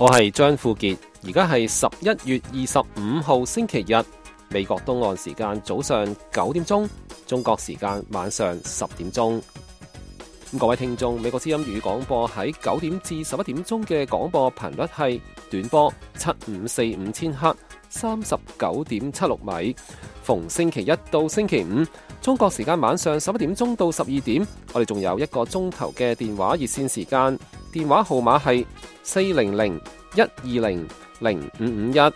我係張富傑，而家係11月25號星期日，美國東岸時間早上9點鐘，中國時間晚上10點鐘。各位聽眾，美國之音粵語廣播喺9點至11點鐘嘅廣播頻率係短波7545千赫，39.76米。逢星期一到星期五，中國時間晚上11點鐘到12點，我哋仲有1個鐘頭嘅電話熱線時間，電話號碼係400-120-0551。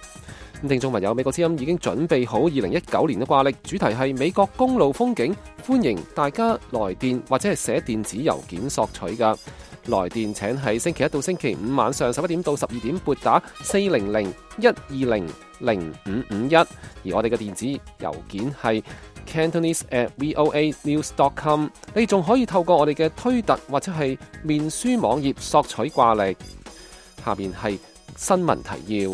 聽眾朋友，美國之音已經準備好2019年嘅掛曆，主題係美國公路風景，歡迎大家來電或者係寫電子郵件索取㗎。來電請喺星期一到星期五晚上11點到12點撥打400-120-0551，而我哋嘅電子郵件係 Cantonese@voanews.com。你仲可以透過我哋嘅推特或者係面書網頁索取掛曆。下面係新聞提要。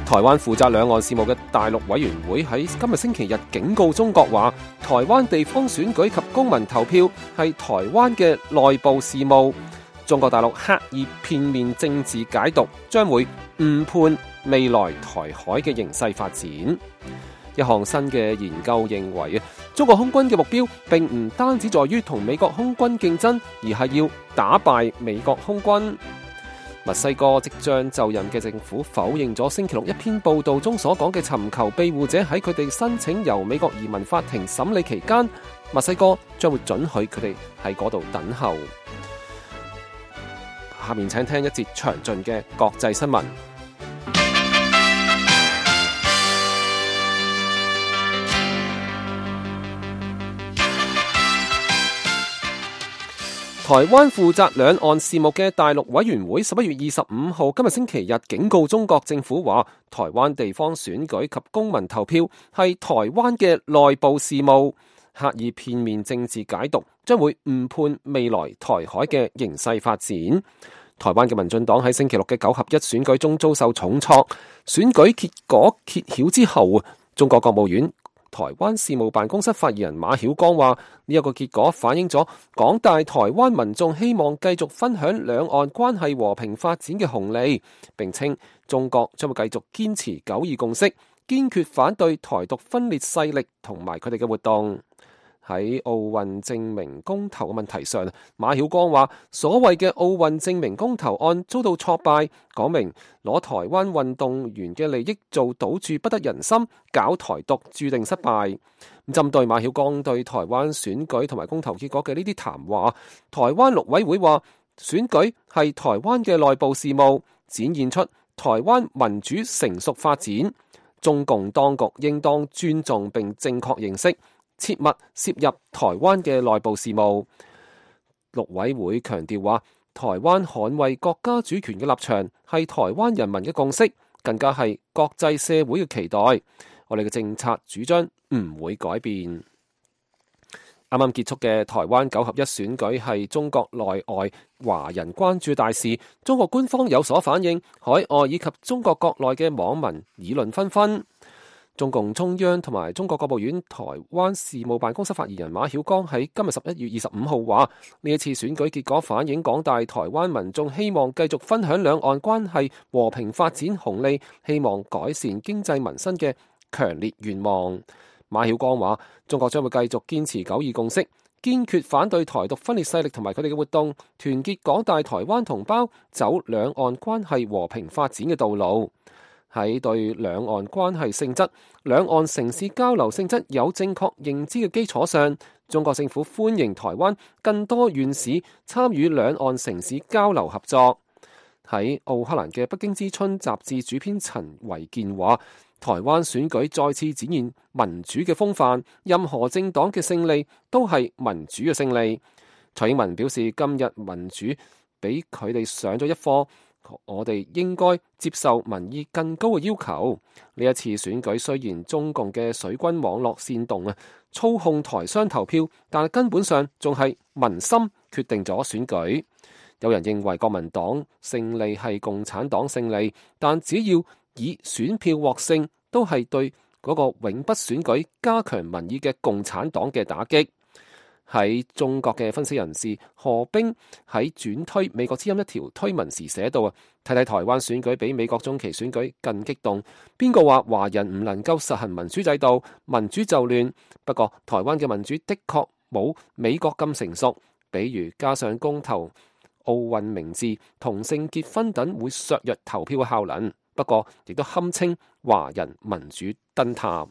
台灣負責兩岸事務嘅大陸委員會喺今日星期日警告中國話，台灣地方選舉及公民投票係台灣嘅內部事務，中國大陸刻意片面政治解讀，將會誤判未來台海嘅形勢發展。一項新嘅研究認為，中國空軍嘅目標並唔單止在於同美國空軍競爭，而係要打敗美國空軍。墨西哥即將就任嘅政府否認咗星期六一篇報道中所講嘅尋求庇護者喺佢哋申請由美國移民法庭審理期間，墨西哥將會准許佢哋喺嗰度等候。下面請聽一節詳盡嘅國際新聞。台灣負責兩岸事務嘅大陸委員會11月25號今日星期日警告中國政府話，台灣地方選舉及公民投票係台灣嘅內部事務，刻意片面政治解讀將會誤判未來台海嘅形勢發展。台灣嘅民進黨喺星期六嘅9合1選舉中遭受重挫，選舉結果揭曉之後，中國國務院台灣事務辦公室發言人馬曉光話，呢一個結果反映咗廣大台灣民眾希望繼續分享兩岸關係和平發展嘅紅利，並稱中國將會繼續堅持九二共識，堅決反對台獨分裂勢力同埋佢哋嘅活動。喺奧運證明公投嘅問題上，馬曉光話，所謂嘅奧運證明公投案遭到挫敗，講明攞台灣運動員嘅利益做賭注不得人心，搞台獨注定失敗。針對馬曉光對台灣選舉同埋公投結果嘅呢啲談話，台灣陸委會話，選舉係台灣嘅內部事務，展現出台灣民主成熟發展，中共當局應當尊重並正確認識，切勿涉入台灣嘅內部事務。陸委會強調話，台灣捍衛國家主權嘅立場係台灣人民嘅共識，更加係國際社會嘅期待。我哋嘅政策主張唔會改變。啱啱結束嘅台灣9合1選舉係中國內外華人關注大事，中國官方有所反應，海外以及中國國內嘅網民議論紛紛。中共中央同埋中國國務院台灣事務辦公室發言人馬曉光喺今日11月25號話，呢一次選舉結果反映廣大台灣民眾希望繼續分享兩岸關係和平發展紅利，希望改善經濟民生嘅強烈願望。馬曉光話，中國將會繼續堅持九二共識，堅決反對台獨分裂勢力同埋佢哋嘅活動，團結廣大台灣同胞走兩岸關係和平發展嘅道路。喺對兩岸關係性質、兩岸城市交流性質有正確認知嘅基礎上，中國政府歡迎台灣更多縣市參與兩岸城市交流合作。喺奧克蘭嘅《北京之春》雜誌主編陳維健話，台灣選舉再次展現民主嘅風範，任何政黨嘅勝利都係民主嘅勝利。蔡英文表示，今日民主俾佢哋上咗一課。我哋應該接受民意更高嘅要求。呢一次選舉雖然中共嘅水軍網絡煽動操控台商投票，但係根本上仲係民心決定咗選舉。有人認為國民黨勝利係共產黨勝利，但只要以選票獲勝，都係對嗰個永不選舉加強民意嘅共產黨嘅打擊。喺中國嘅分析人士何冰喺轉推美國之音一條推文時寫到睇睇台灣選舉比美國中期選舉更激動，邊個話華人唔能夠實行民主制度，民主就亂。不過台灣嘅民主的確冇美國咁成熟，比如加上公投、奧運名字、同性結婚等會削弱投票嘅效能。不過亦都堪稱華人民主燈塔。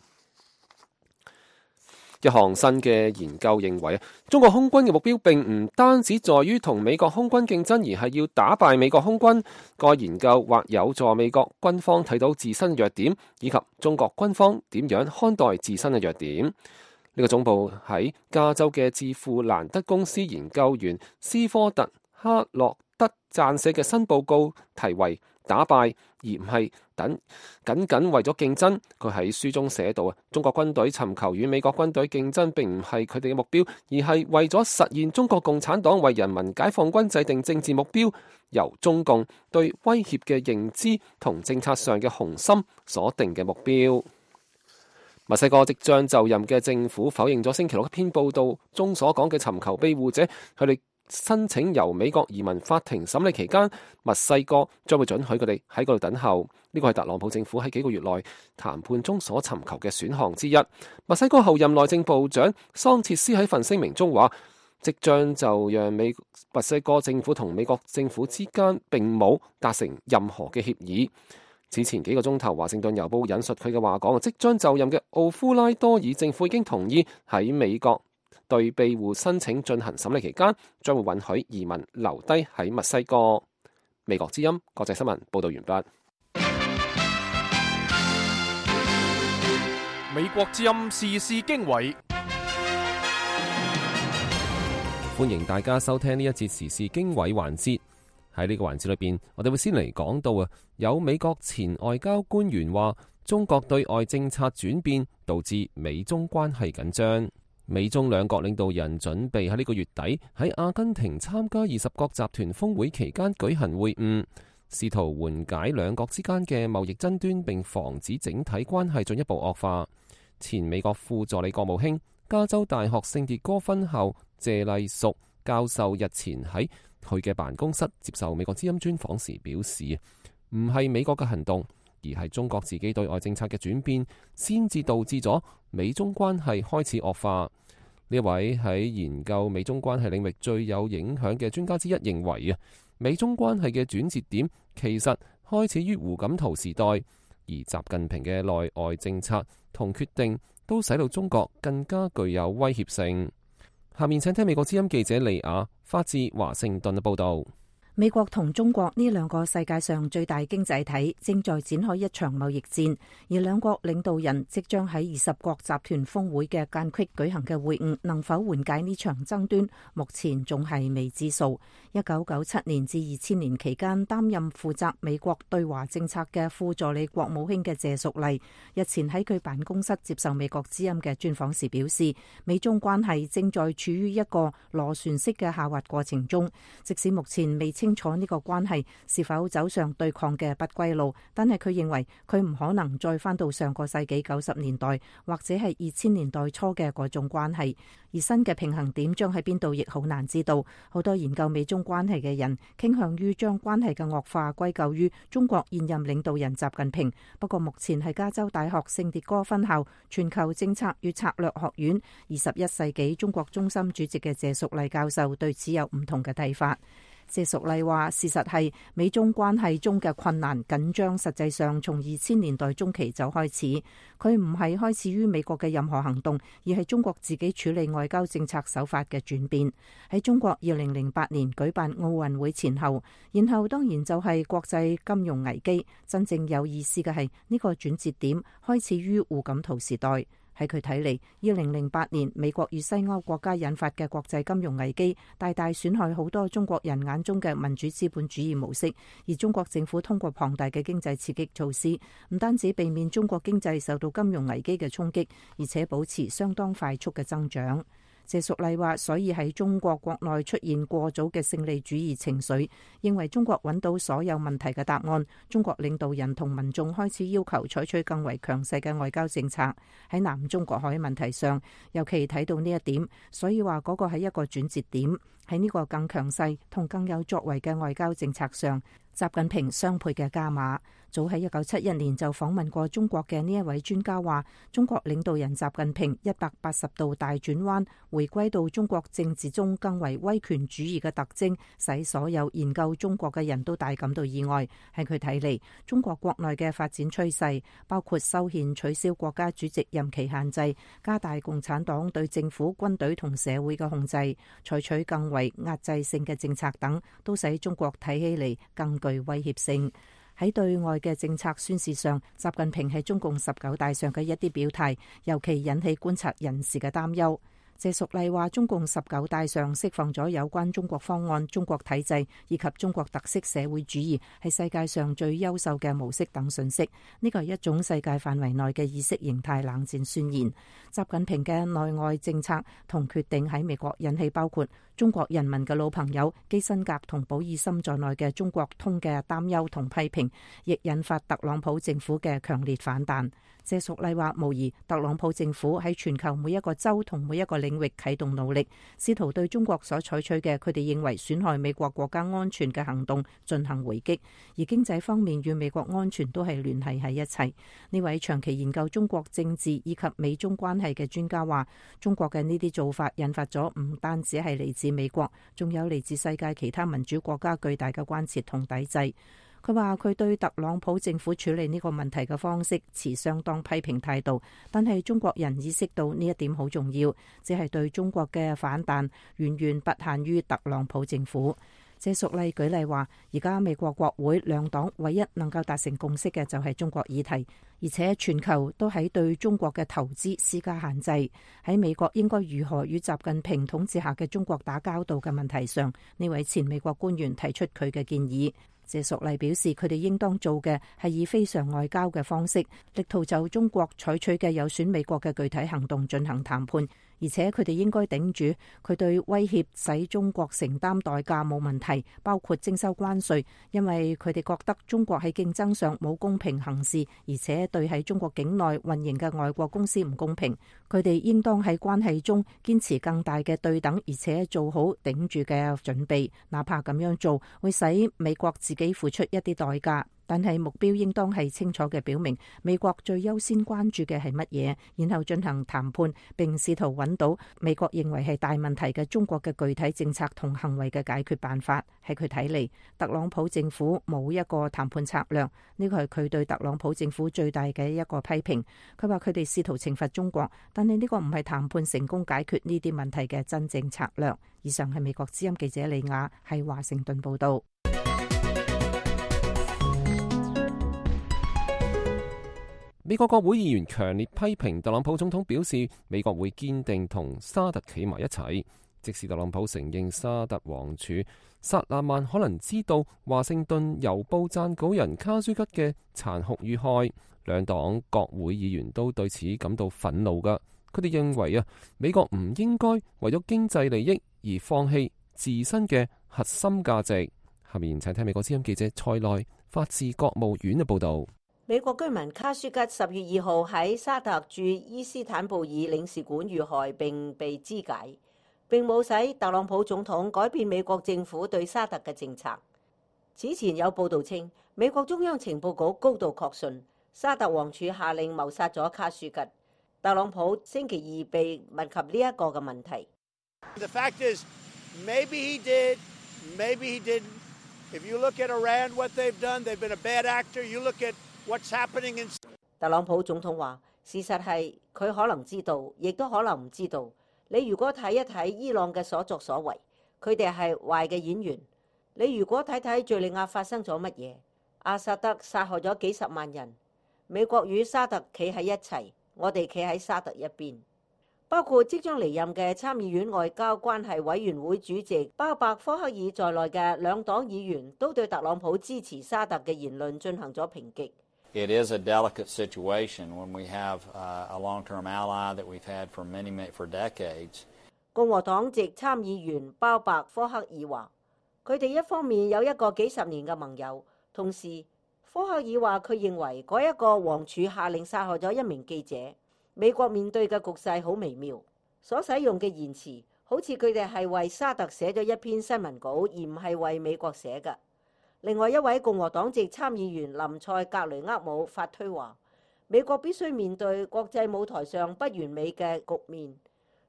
一項新嘅研究認為，中國空軍嘅目標並唔單止在於同美國空軍競爭，而係要打敗美國空軍。該研究或有助美國軍方睇到自身弱點，以及中國軍方點樣看待自身嘅弱點。呢個總部喺加州嘅智庫蘭德公司研究員斯科特·哈洛德撰寫嘅新報告題為打敗，而唔係僅僅為咗競爭。佢喺書中寫到中國軍隊尋求與美國軍隊競爭並唔係佢哋嘅目標，而係為咗實現中國共產黨為人民解放軍制定政治目標，由中共對威脅嘅認知同政策上嘅雄心所定嘅目標。墨西哥即將就任嘅政府否認咗星期六一篇報道中所講嘅尋求庇護者佢哋申請由美國移民法庭審理期間，墨西哥將會准許佢哋喺嗰度等候。呢個係特朗普政府喺幾個月內談判中所尋求嘅選項之一。墨西哥後任內政部長桑切斯喺份聲明中話，即將就讓墨西哥政府同美國政府之間並冇達成任何嘅協議。此前幾個鐘頭，華盛頓郵報引述佢嘅話講，即將就任嘅奧夫拉多爾政府已經同意喺美國對庇護申請進行審理期間，將會允許移民留低喺墨西哥。美國之音國際新聞報道完畢。美國之音時事經緯，歡迎大家收聽呢一節時事經緯環節。喺呢個環節裏邊，我哋會先嚟講到有美國前外交官員話，中國對外政策轉變導致美中關係緊張。美中兩國領導人準備喺呢個月底喺阿根廷參加20國集團峰會期間舉行會晤，試圖緩解兩國之間嘅貿易爭端，並防止整體關係進一步惡化。前美國副助理國務卿、加州大學聖迭戈分校謝麗淑教授日前喺佢嘅辦公室接受美國之音專訪時表示，唔係美國嘅行動，而係中國自己對外政策嘅轉變，先至導致咗美中關係開始惡化。呢位喺研究美中關係領域最有影響嘅專家之一認為美中關係嘅轉折點其實開始於胡錦濤時代，而習近平嘅內外政策同決定都使到中國更加具有威脅性。下面請聽美國之音記者利亞發自華盛頓嘅報道。美國同中國呢兩個世界上最大經濟體正在展開一場貿易戰，而兩國領導人即將喺20國集團峰會嘅間隙舉行嘅會晤，能否緩解呢場爭端，目前仲係未知數。1997年至2000年期間擔任負責美國對華政策嘅副助理國務卿嘅謝淑麗，日前喺佢辦公室接受美國之音嘅專訪時表示，美中關係正在處於一個螺旋式嘅下滑過程中，即使目前未清楚呢個關係是否走上對抗嘅不歸路，但係佢認為佢唔可能再返到上個世紀90年代或者係2000年代初嘅嗰種關係，而新嘅平衡點將喺邊度亦好難知道。好多研究美中關係嘅人傾向於將關係嘅惡化歸咎於中國現任領導人習近平，不過目前係加州大學聖迭戈分校全球政策與策略學院21世紀中國中心主席嘅謝淑麗教授對此有唔同嘅睇法。謝淑麗話，事實係美中關係中嘅困難緊張實際上從2000年代中期就開始，佢唔係開始於美國嘅任何行動，而係中國自己處理外交政策手法嘅轉變。喺中國2008年舉辦奧運會前後，然後當然就係國際金融危機。真正有意思嘅係呢個轉折點開始於胡錦濤時代。喺佢睇嚟，2008年美國與西歐國家引發嘅國際金融危機，大大損害好多中國人眼中嘅民主資本主義模式。而中國政府通過龐大嘅經濟刺激措施，唔單止避免中國經濟受到金融危機嘅衝擊，而且保持相當快速嘅增長。謝淑麗話，所以喺中國國內出現過早嘅勝利主義情緒，認為中國揾到所有問題嘅答案。中國領導人同民眾開始要求採取更為強勢嘅外交政策。喺南中國海問題上，尤其睇到呢一點，所以話嗰個係一個轉折點。喺呢個更強勢同更有作為嘅外交政策上，習近平雙倍嘅加碼。早喺1971年就訪問過中國嘅呢一位專家話，中國領導人習近平180度大轉彎，回歸到中國政治中更為威權主義嘅特徵，使所有研究中國嘅人都大感到意外。喺佢睇嚟，中國國內嘅發展趨勢包括修憲、取消國家主席任期限制、加大共產黨對政府、軍隊同社會嘅控制、採取更為壓制性嘅政策等，都使中國睇起嚟更具威脅性。喺對外嘅政策宣示上，習近平喺中共19大上嘅一啲表態，尤其引起觀察人士嘅擔憂。謝淑麗話，中共19大上釋放咗有關中國方案、中國體制以及中國特色社會主義係世界上最優秀嘅模式等信息。呢個係一種世界範圍內嘅意識形態冷戰宣言。習近平嘅內外政策同決定喺美國引起包括中國人民嘅老朋友基辛格同保爾森在內嘅中國通嘅擔憂同批評，亦引發特朗普政府嘅強烈反彈。謝淑麗話，無疑特朗普政府喺全球每一個州同每一個領域啟動努力，試圖對中國所採取嘅佢哋認為損害美國國家安全嘅行動進行回擊，而經濟方面與美國安全都係聯繫喺一齊。呢位長期研究中國政治以及美中關係嘅專家話，中國嘅呢啲做法引發咗唔單止係嚟自美國，仲有嚟自世界其他民主國家巨大嘅關切同抵制。佢話佢對特朗普政府處理呢個問題嘅方式持相當批評態度，但係中國人意識到呢一點好重要，只係對中國嘅反彈遠遠不限於特朗普政府。謝淑麗舉例話，而家美國國會兩黨唯一能夠達成共識嘅就係中國議題，而且全球都喺對中國嘅投資施加限制。喺美國應該如何與習近平統治下嘅中國打交道嘅問題上，呢位前美國官員提出佢嘅建議。謝淑麗表示，佢哋應當做嘅係以非常外交嘅方式，力圖就中國採取嘅有損美國嘅具體行動進行談判，而且佢哋應該頂住佢對威脅使中國承擔代價冇問題，包括徵收關稅，因為佢哋覺得中國喺競爭上冇公平行事，而且對喺中國境內運營嘅外國公司唔公平。佢哋應當喺關係中堅持更大嘅對等，而且做好頂住嘅準備，哪怕咁樣做會使美國自己付出一啲代價。但係目標應當係清楚嘅表明美國最優先關注嘅係乜嘢，然後進行談判，並試圖揾到美國認為係大問題嘅中國嘅具體政策同行為嘅解決辦法。喺佢睇嚟，特朗普政府冇一個談判策略，呢個係佢對特朗普政府最大嘅一個批評。佢話佢哋試圖懲罰中國，但係呢個唔係談判成功解決呢啲問題嘅真正策略。以上係美國之音記者李雅喺華盛頓報道。美國國會議員強烈批評特朗普總統，表示美國會堅定同沙特企埋一齊，即使特朗普承認沙特王儲薩勒曼可能知道華盛頓郵報撰稿人卡舒吉嘅殘酷遇害，兩黨國會議員都對此感到憤怒㗎。佢哋認為美國唔應該為咗經濟利益而放棄自身嘅核心價值。下面請聽美國之音記者塞內法治國務院嘅報導。美國居民卡舒吉10月2號喺沙特駐伊斯坦布爾領事館遇害並被肢解，並冇使特朗普總統改變美國政府對沙特嘅政策。此前有報道稱，美國中央情報局高度確信沙特王儲下令謀殺咗卡舒吉。特朗普星期二被問及呢一個嘅問題。The fact is, maybe he did, maybe he didn't. If you look at Iran, what they've done, they've been a bad actor. You look at what's happening in... 特朗普總統話：事實係佢可能知道，亦都可能唔知道。你如果睇一睇伊朗嘅所作所為，佢哋係壞嘅演員。你如果睇睇敘利亞發生咗乜嘢，阿薩德殺害咗幾十萬人。美國與沙特企喺一齊，我哋企喺沙特一邊。包括即將離任嘅參議院外交關係委員會主席巴伯科克爾在內嘅兩黨議員都對特朗普支持沙特嘅言論進行咗抨擊。It is a delicate situation when we have a long-term ally that we've had for decades. 共和黨籍參議員鮑伯科克爾話，佢哋一方面有一個幾十年嘅盟友，同時科克爾話佢認為嗰一個王儲下令殺害咗一名記者。美國面對嘅局勢好微妙，所使用嘅言辭好似佢哋係為沙特寫咗一篇新聞稿，而唔係為美國寫嘅。另外一位共和黨籍參議員林塞格雷厄姆發推話，美國必須面對國際舞台上不完美嘅局面，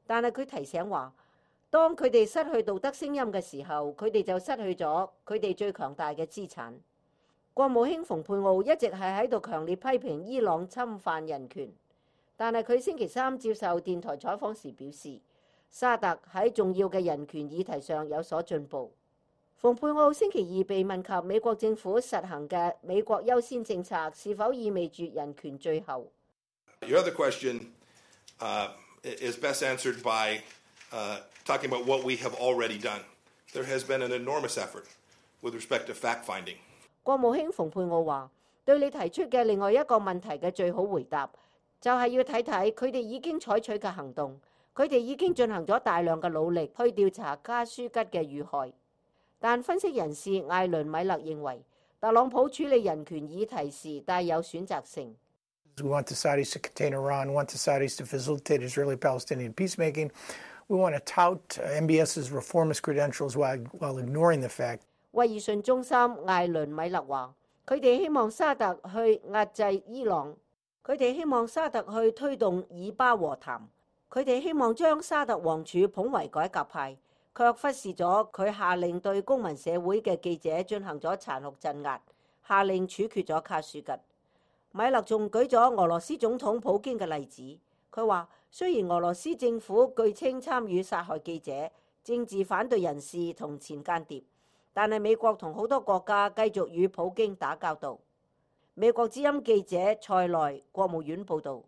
但係佢提醒話，當佢哋失去道德聲音嘅時候，佢哋就失去咗佢哋最強大嘅資產。國務卿蓬佩奧一直係喺度強烈批評伊朗侵犯人權，但係佢星期三接受電台採訪時表示，沙特喺重要嘅人權議題上有所進步。蓬佩奧星期二被問及美國政府實行嘅美國優先政策是否意味住人權最後。Your other question is best answered by talking about what we have already done. There has been an enormous effort with respect to fact-finding. 國務卿蓬佩奧話，對你提出嘅另外一個問題嘅最好回答，就係要睇睇佢哋已經採取嘅行動。佢哋已經進行咗大量嘅努力去調查加舒吉嘅遇害。但分析人士艾倫米勒認為，特朗普處理人權議題時帶有選擇性。We want the Saudis to contain Iran, want the Saudis to facilitate Israeli-Palestinian peacemaking. We want to tout MBS's reformist credentials while ignoring the fact. 威爾遜中心艾倫米勒話，佢哋希望沙特去壓制伊朗，佢哋希望沙特去推動以巴和談，佢哋希望將沙特王儲捧為改革派，卻忽視咗佢下令對公民社會嘅記者進行咗殘酷鎮壓，下令處決咗卡舒吉。米勒仲舉咗俄羅斯總統普京嘅例子，佢話雖然俄羅斯政府據稱參與殺害記者、政治反對人士同前間諜，但係美國同好多國家繼續與普京打交道。美國之音記者塞內國務院報導。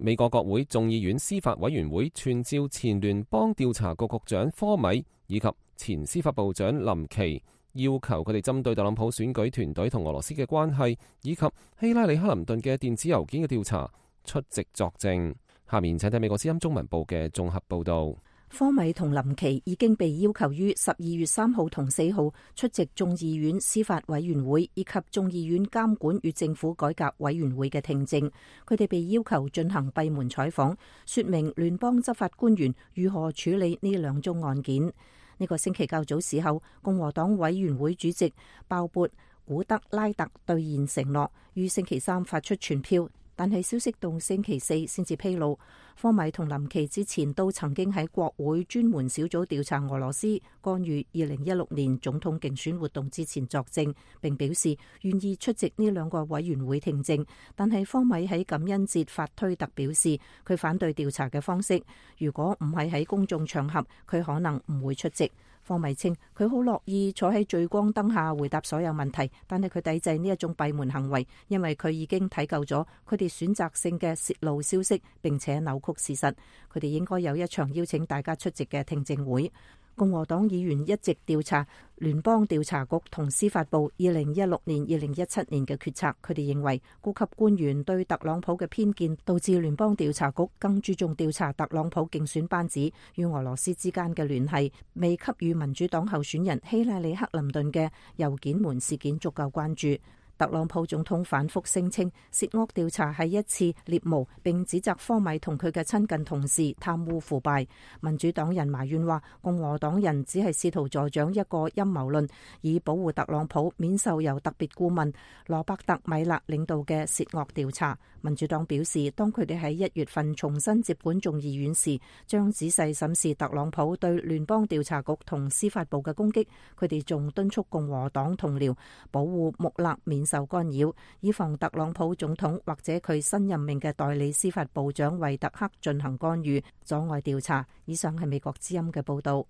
美國國會眾議院司法委員會傳召前聯邦調查局局長科米以及前司法部長林奇，要求佢哋針對特朗普選舉團隊同俄羅斯嘅關係，以及希拉里克林頓嘅電子郵件嘅調查出席作證。下面請睇美國之音中文部嘅綜合報導。科米同林奇已經被要求於12月3號同4號出席眾議院司法委員會以及眾議院監管與政府改革委員會嘅聽證。佢哋被要求進行閉門採訪，說明聯邦執法官員如何處理呢兩宗案件。呢個星期較早時候，共和黨委員會主席鮑勃古德拉特兌現承諾，於星期三發出傳票。但係消息到星期四先至披露，科米同林奇之前都曾經喺國會專門小組調查俄羅斯干預2016年總統競選活動之前作證，並表示願意出席呢兩個委員會聽證。但係科米喺感恩節發推特表示，佢反對調查嘅方式，如果唔係喺公眾場合，佢可能唔會出席。科米稱佢好樂意坐喺聚光燈下回答所有問題，但係佢抵制呢一種閉門行為，因為佢已經睇夠咗佢哋選擇性嘅洩露消息，並且扭曲事實。佢哋應該有一場邀請大家出席嘅聽證會。共和黨議員一直調查聯邦調查局同司法部2016年、2017年嘅決策。佢哋認為高級官員對特朗普嘅偏見導致聯邦調查局更注重調查特朗普競選班子與俄羅斯之間嘅聯繫，未給予民主黨候選人希拉里克林頓嘅郵件門事件足夠關注。特朗普總統反覆聲稱涉惡調查係一次獵巫，並指責科米同佢嘅親近同事貪污腐敗。民主黨人埋怨話，共和黨人只係試圖助長一個陰謀論，以保護特朗普免受由特別顧問羅伯特米勒領導嘅涉惡調查。民主黨表示，當佢哋喺1月份重新接管眾議院時，將仔細審視特朗普對聯邦調查局同司法部嘅攻擊。佢哋仲敦促共和黨同僚保護穆勒免受干擾，以防特朗普總統或者佢新任命嘅代理司法部長維特克進行干預，阻礙調查。以上係美國之音嘅報道。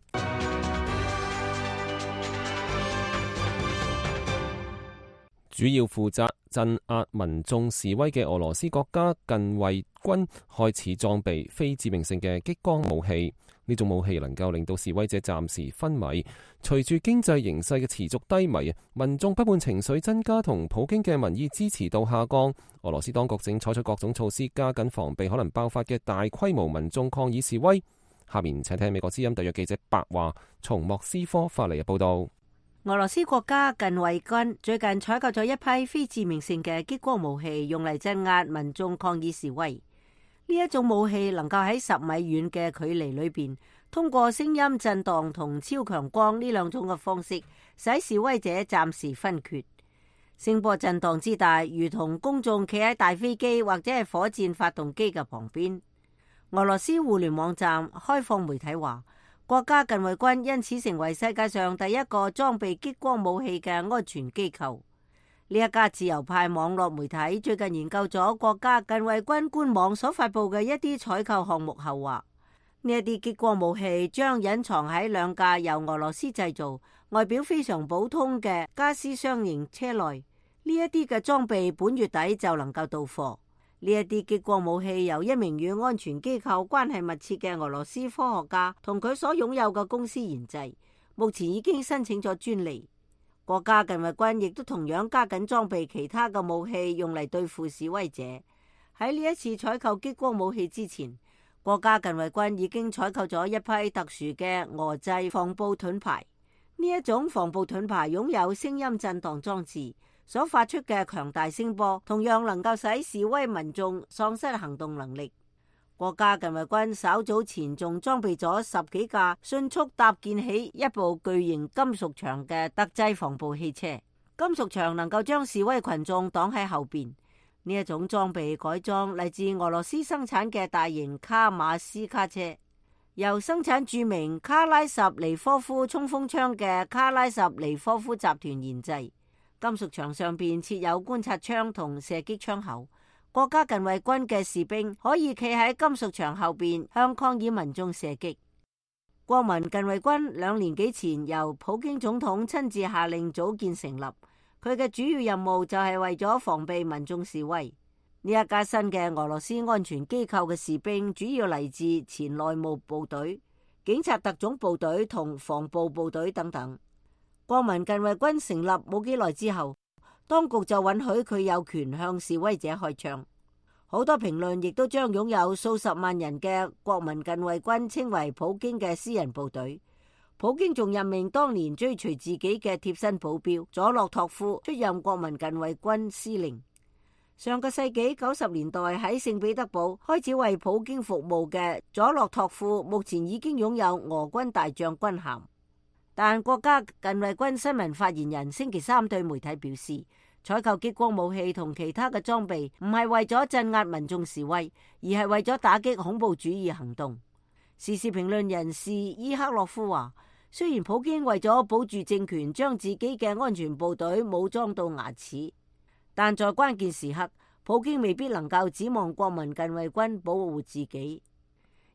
主要負責鎮壓民眾示威嘅俄羅斯國家近衛軍開始裝備非致命性嘅激光武器。呢種武器能夠令到示威者暫時昏迷。隨住經濟形勢嘅持續低迷，民眾不滿情緒增加同普京嘅民意支持度下降。俄羅斯當局正採取各種措施，加緊防備可能爆發嘅大規模民眾抗議示威。下面請聽美國之音特約記者白華從莫斯科發嚟嘅報道。俄羅斯國家近衛軍最近採購咗一批非致命性嘅激光武器，用嚟鎮壓民眾抗議示威。呢一種武器能夠喺10米遠嘅距離裏邊，通過聲音震盪同超強光呢兩種嘅方式，使示威者暫時昏厥。聲波震盪之大，如同公眾企喺大飛機或者係火箭發動機嘅旁邊。俄羅斯互聯網站開放媒體話，國家近衛軍因此成為世界上第一個裝備激光武器嘅安全機構。呢一家自由派網絡媒體最近研究咗國家近衛軍官網所發佈嘅一啲採購項目後話，呢一啲激光武器將隱藏喺2架由俄羅斯製造、外表非常普通嘅加斯雙型車內。呢一啲嘅裝備本月底就能夠到貨。呢一啲激光武器由一名與安全機構關係密切嘅俄羅斯科學家同佢所擁有嘅公司研製，目前已經申請咗專利。國家近衛軍亦都同樣加緊裝備其他嘅武器，用嚟對付示威者。喺呢一次採購激光武器之前，國家近衛軍已經採購咗一批特殊嘅俄製防暴盾牌。呢一種防暴盾牌擁有聲音震盪裝置，所發出嘅強大聲波同樣能夠使示威民眾喪失行動能力。國家近衛軍稍早前仲裝備咗10幾架迅速搭建起一部巨型金屬牆嘅特製防暴汽車，金屬牆能夠將示威群眾擋喺後邊。呢一種裝備改裝嚟自俄羅斯生產嘅大型卡馬斯卡車，由生產著名卡拉什尼科夫衝鋒槍嘅卡拉什尼科夫集團研製。金屬牆上邊設有觀察窗同射擊窗口，國家近衛軍嘅士兵可以企喺金屬牆後邊向抗議民眾射擊。國民近衛軍2年幾前由普京總統親自下令組建成立，佢嘅主要任務就係為咗防備民眾示威。呢一家新嘅俄羅斯安全機構嘅士兵主要嚟自前內務部隊、警察特種部隊同防暴部隊等等。國民近衛軍成立冇幾耐之後，當局就允許佢有權向示威者開槍。好多評論亦都將擁有數十萬人嘅國民近衛軍稱為普京嘅私人部隊。普京仲任命當年追隨自己嘅貼身保鏢佐洛托夫出任國民近衛軍司令。上個世紀90年代喺聖彼得堡開始為普京服務嘅佐洛托夫，目前已經擁有俄軍大將軍銜。但國家近衛軍新聞發言人星期三對媒體表示，採購激光武器同其他嘅裝備唔係為咗鎮壓民眾示威，而係為咗打擊恐怖主義行動。時事評論人士伊克洛夫話，雖然普京為咗保住政權，將自己嘅安全部隊武裝到牙齒，但在關鍵時刻，普京未必能夠指望國民近衛軍保護自己。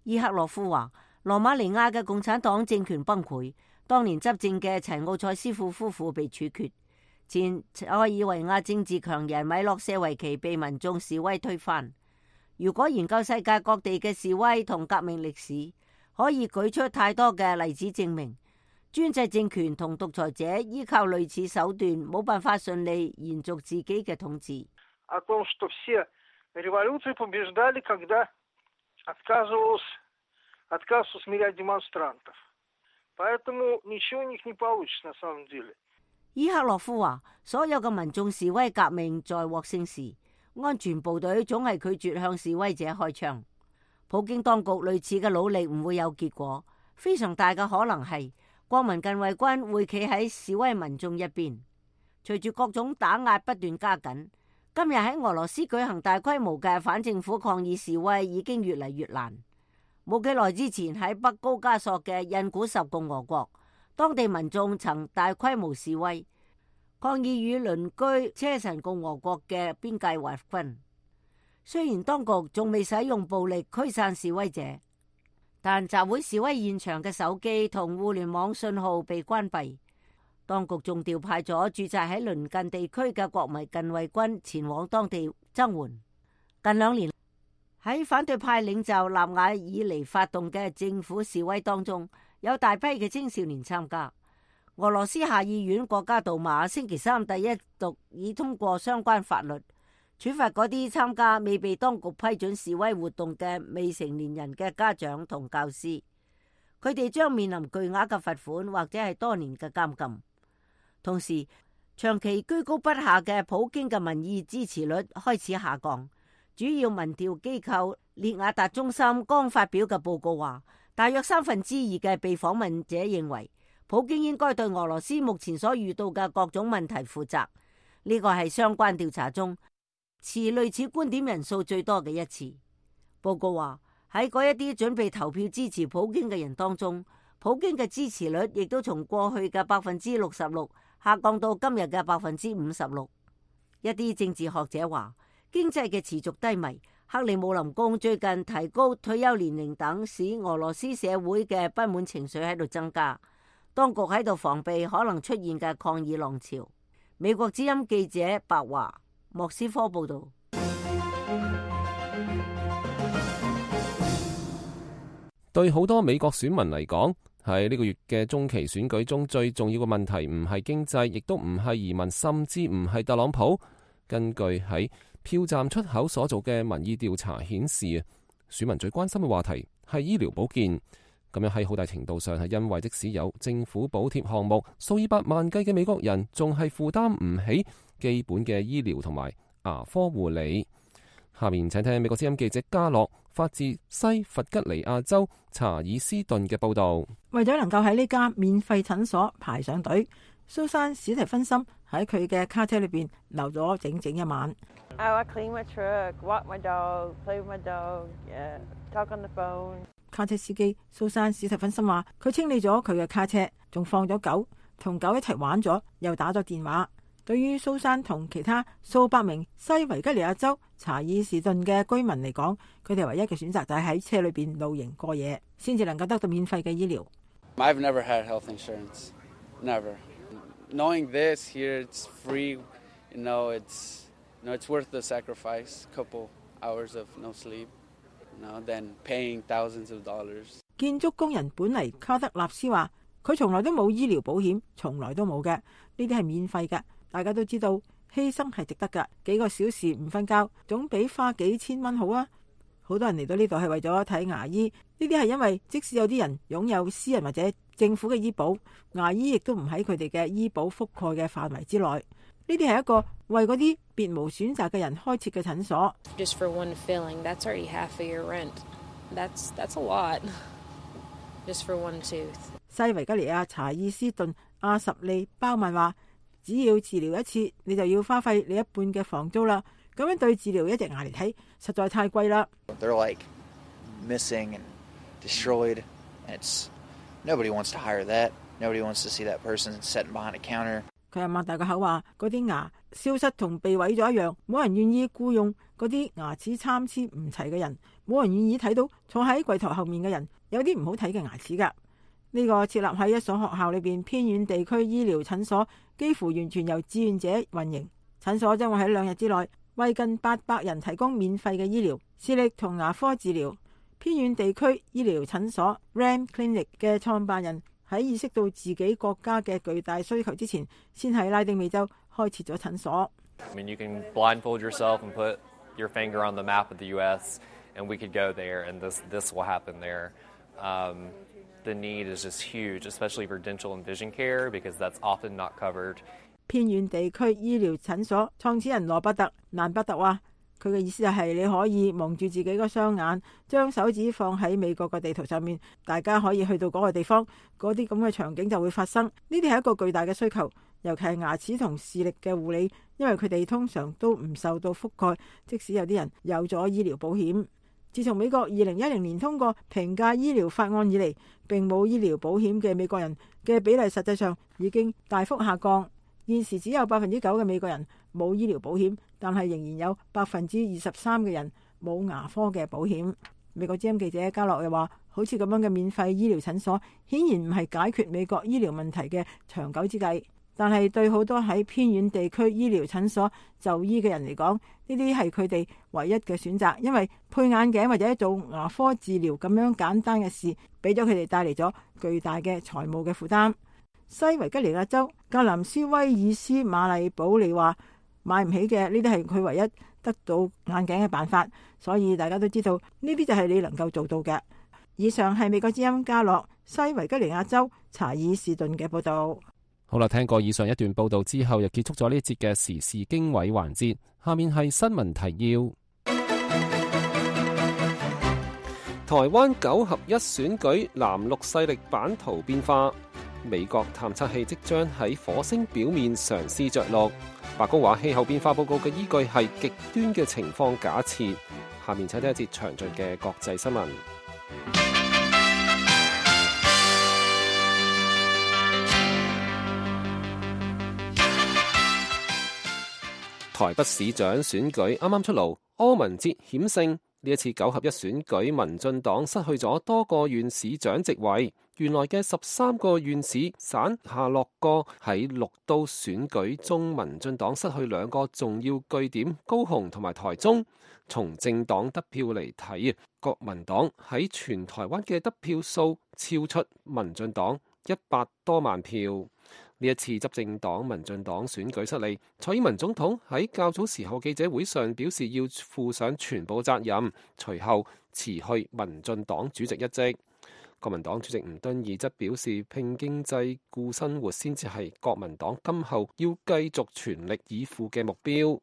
伊克洛夫話，羅馬尼亞嘅共產黨政權崩潰，當年執政嘅齊奧塞斯庫夫婦被處決，前塞爾維亞政治強人米洛舍維奇被民眾示威推翻。如果研究世界各地嘅示威同革命歷史，可以舉出太多嘅例子證明，專制政權同獨裁者依靠類似手段冇辦法順利延續自己嘅統治。伊克洛夫話，所有嘅民眾示威革命在獲勝時，安全部隊總係拒絕向示威者開槍。普京當局類似嘅努力唔會有結果，非常大嘅可能係國民近衛軍會企喺示威民眾一邊。隨住各種打壓不斷加緊，今日喺俄羅斯舉行大規模嘅反政府抗議示威已經越嚟越難。冇幾耐之前喺北高加索嘅印古什共和國，當地民眾曾大規模示威，抗議與鄰居車臣共和國嘅邊界劃分。雖然當局仲未使用暴力驅散示威者，但集會示威現場嘅手機同互聯網信號被關閉。當局仲調派咗駐紮喺鄰近地區嘅國民近衛軍前往當地增援。近2年喺反對派領袖納瓦爾尼發動嘅政府示威當中，有大批嘅青少年參加。俄羅斯下議院國家杜馬星期三第一讀已通過相關法律，處罰嗰啲參加未被當局批准示威活動嘅未成年人嘅家長同教師，佢哋將面臨巨額嘅罰款或者係多年嘅監禁。同時，長期居高不下嘅普京嘅民意支持率開始下降。主要民調機構列雅達中心剛發表嘅報告話，大約2/3嘅被訪問者認為普京應該對俄羅斯目前所遇到嘅各種問題負責。呢個係相關調查中持類似觀點人數最多嘅一次。報告話，喺嗰一啲準備投票支持普京嘅人當中，普京嘅支持率亦都從過去嘅66%下降到今日嘅56%。一啲政治學者話，經濟嘅持續低迷，克里姆林宮最近提高退休年齡等，使俄羅斯社會嘅不滿情緒喺度增加。當局喺度防備可能出現嘅抗議浪潮。美國之音記者白華莫斯科報道。對好多美國選民嚟講，喺呢個月嘅中期選舉中，最重要嘅問題唔係經濟，亦都唔係移民，甚至唔係特朗普。根據喺票站出口所做嘅民意調查顯示，選民最關心嘅話題係醫療保健。咁樣喺好大程度上係因為即使有政府補貼項目，數以百萬計嘅美國人仲係負擔唔起基本嘅醫療同埋牙科護理。下面請聽美國之音記者嘉樂發自西弗吉尼亞州查爾斯頓嘅報導。為咗能夠喺呢家免費診所排上隊，蘇珊史提芬森喺佢嘅卡車裏邊留咗整整一晚。I clean my truck, walk my dog, play with my dog, talk on the phone. 卡車司機蘇珊史提芬森話：佢清理咗佢嘅卡車，仲放咗狗，同狗一齊玩咗，又打咗電話。對於蘇珊同其他數百名西維吉尼亞州查爾士頓嘅居民嚟講，佢哋唯一嘅選擇就係喺車裏邊露營過夜，先至能夠得到免費嘅醫療。I've never had health insurance, never. Knowing this here, it's free. It's worth the sacrifice. Couple hours of no sleep, then paying thousands of dollars. 建築工人本尼卡德納斯話：佢從來都冇醫療保險，從來都冇嘅，呢啲係免費嘅。大家都知道犧牲係值得㗎，幾個小時唔瞓覺總比花幾千蚊好啊！好多人嚟到呢度係為咗睇牙醫，呢啲係因為即使有啲人擁有私人或者政府嘅醫保，牙醫亦都唔喺佢哋嘅醫保覆蓋嘅範圍之內。呢啲係一個為嗰啲別無選擇嘅人開設嘅診所。Just for one filling, that's already half of your rent. That's a lot. Just for one tooth. 西維吉尼亞查爾斯頓阿什利鮑曼話：只要治療一次，你就要花費你一半嘅房租啦。咁樣對治療一隻牙嚟睇，實在太貴啦。They're like missing and destroyed, and nobody wants to hire that. Nobody wants to see that person sitting behind a counter. 佢又擘大個口話：嗰啲牙消失同被毀咗一樣，冇人願意僱用嗰啲牙齒參差唔齊嘅人，冇人願意睇到坐喺櫃台後面嘅人有啲唔好睇嘅牙齒㗎。呢個設立喺一所學校裏邊偏遠地區醫療診所，幾乎完全由志願者運營。診所將會喺2日之內為近800人提供免費嘅醫療、視力同牙科治療。偏遠地區醫療診所 Ram Clinic 嘅創辦人喺意識到自己國家嘅巨大需求之前，先喺拉丁美洲開設咗診所。I mean, you can blindfold yourself and put your finger on the map of the U.S. and we could go there, and this will happen there. The need is just huge, especially for dental and vision care, because that's often not covered. 偏遠地區醫療診所創始人羅伯特蘭伯特話：佢嘅意思就係你可以蒙住自己個雙眼，將手指放喺美國嘅地圖上面，大家可以去到嗰個地方，嗰啲咁嘅場景就會發生。呢啲係一個巨大嘅需求，尤其係牙齒同視力嘅護理，因為佢哋通常都唔受到覆蓋，即使有啲人有咗醫療保險。自從美國2010年通過平價醫療法案以嚟，並冇醫療保險嘅美國人嘅比例實際上已經大幅下降。現時只有9%嘅美國人冇醫療保險，但係仍然有23%嘅人冇牙科嘅保險。美國之音記者嘉樂又話：好似咁樣嘅免費醫療診所，顯然唔係解決美國醫療問題嘅長久之計。但係對好多喺偏遠地區醫療診所就醫嘅人嚟講，呢啲係佢哋唯一嘅選擇，因為配眼鏡或者做牙科治療咁樣簡單嘅事，俾咗佢哋帶嚟咗巨大嘅財務嘅負擔。西維吉尼亞州格林斯威爾斯瑪麗保利話買唔起嘅呢啲係佢唯一得到眼鏡嘅辦法，所以大家都知道呢啲就係你能夠做到嘅。以上係美國之音嘉樂西維吉尼亞州查爾士頓嘅報道。好啦，聽過以上一段報道之後，又結束咗呢一節嘅時事經緯環節。下面係新聞提要。台灣9合1選舉藍綠勢力版圖變化，美國探測器即將喺火星表面嘗試着陸。白宮話氣候變化報告嘅依據係極端嘅情況假設。下面請聽一節詳盡嘅國際新聞。台北市長選舉啱啱出爐，柯文哲險勝。呢一次9合1選舉，民進黨失去咗多個縣市長席位，原來嘅13個縣市省下落個喺6都選舉中，民進黨失去2個重要據點，高雄同埋台中。從政黨得票嚟睇，國民黨喺全台灣嘅得票數超出民進黨100多萬票。呢一次執政黨民進黨選舉失利，蔡英文總統喺較早時候記者會上表示要負上全部責任，隨後辭去民進黨主席一職。國民黨主席吳敦義則表示，拼經濟顧生活先至係國民黨今後要繼續全力以赴嘅目標。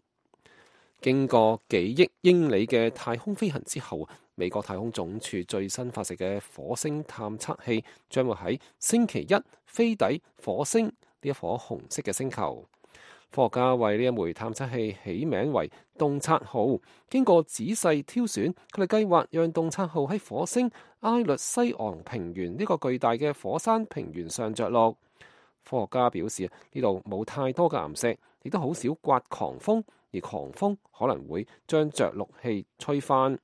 經過幾億英里嘅太空飛行之後，美國太空總署最新發射嘅火星探測器將會喺星期一飛抵火星呢一顆紅色嘅星球。科學家為呢一枚探測器起名為洞察號，經過仔細挑選，佢哋計劃讓洞察號喺火星埃律西昂平原呢個巨大嘅火山平原上着陸。科學家表示，呢度冇太多嘅岩石，亦都好少刮狂風，而狂風可能會將着陸器吹翻。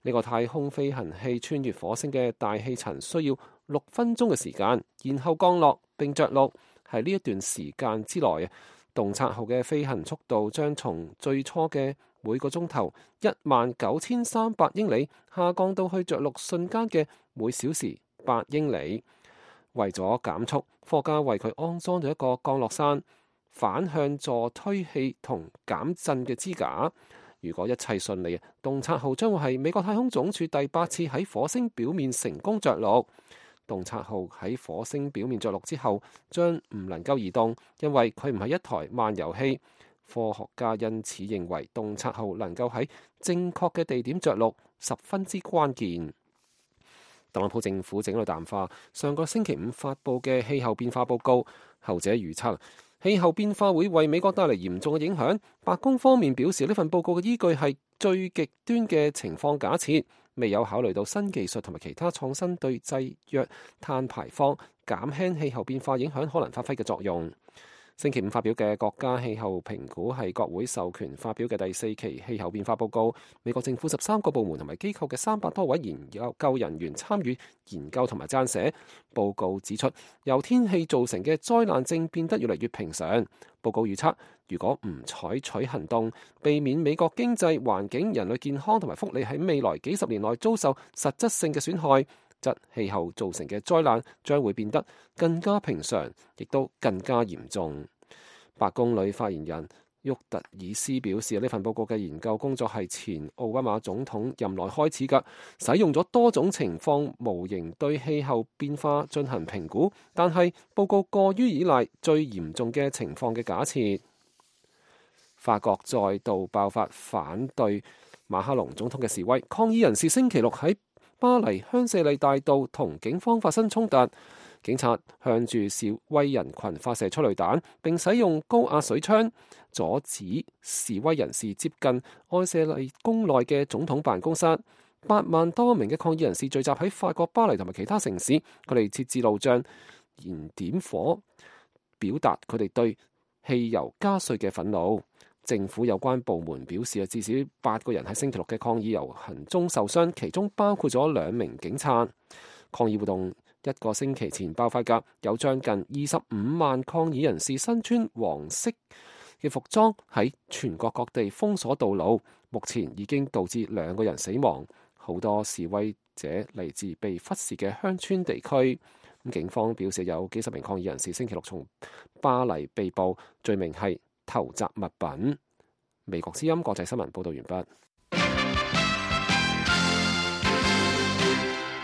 呢個太空飛行器穿越火星嘅大氣層需要6分鐘嘅時間，然後降落並着陸。喺呢一段時間之內，洞察號嘅飛行速度將從最初嘅每個鐘頭19300英里下降到去着陸瞬間嘅每小時8英里。為咗減速，科學家為佢安裝咗一個降落傘、反向助推器同減震嘅支架。如果一切順利，洞察號將會係美國太空總署第8次喺火星表面成功着陸。洞察號喺火星表面着陸之後，將唔能夠移動，因為佢唔係一台漫遊器。科學家因此認為洞察號能夠喺正確嘅地點着陸十分之關鍵。特朗普政府整理淡化上個星期5發佈嘅氣候變化報告，後者預測氣候變化會為美國帶嚟嚴重嘅影響。白宮方面表示，呢份報告嘅依據係最極端嘅情況假設，未有考慮到新技術同埋其他創新對制約碳排放、減輕氣候變化影響可能發揮嘅作用。星期5發表嘅國家氣候評估係國會授權發表嘅第4期氣候變化報告。美國政府13個部門同埋機構嘅300多位研究人員參與研究同埋撰寫。報告指出，由天氣造成嘅災難正變得越嚟越平常。報告預測，如果唔採取行動，避免美國經濟、環境、人類健康同埋福利喺未來幾十年內遭受實質性嘅損害，則氣候造成嘅災難將會變得更加平常，亦都更加嚴重。白宮女發言人沃特爾斯表示，呢份報告嘅研究工作係前奧巴馬總統任內開始㗎，使用咗多種情況模型對氣候變化進行評估，但係報告過於依賴最嚴重嘅情況嘅假設。法國再度爆發反對馬克龍總統嘅示威，抗議人士星期六喺巴黎香榭麗大道同警方發生衝突，警察向住示威人群發射催淚彈，並使用高壓水槍阻止示威人士接近愛榭麗宮內嘅總統辦公室。8萬多名嘅抗議人士聚集喺法國巴黎同埋其他城市，佢哋設置路障，燃點火，表達佢哋對汽油加稅嘅憤怒。政府有關部門表示，至少8個人喺星期六嘅抗議遊行中受傷，其中包括咗2名警察。抗議活動一個星期前爆發嘅，有將近25萬抗議人士身穿黃色嘅服裝喺全國各地封鎖道路，目前已經導致2個人死亡。好多示威者嚟自被忽視嘅鄉村地區。警方表示有幾十名抗議人士星期六從巴黎被捕，罪名係投擲物品。美國之音國際新聞報道完畢。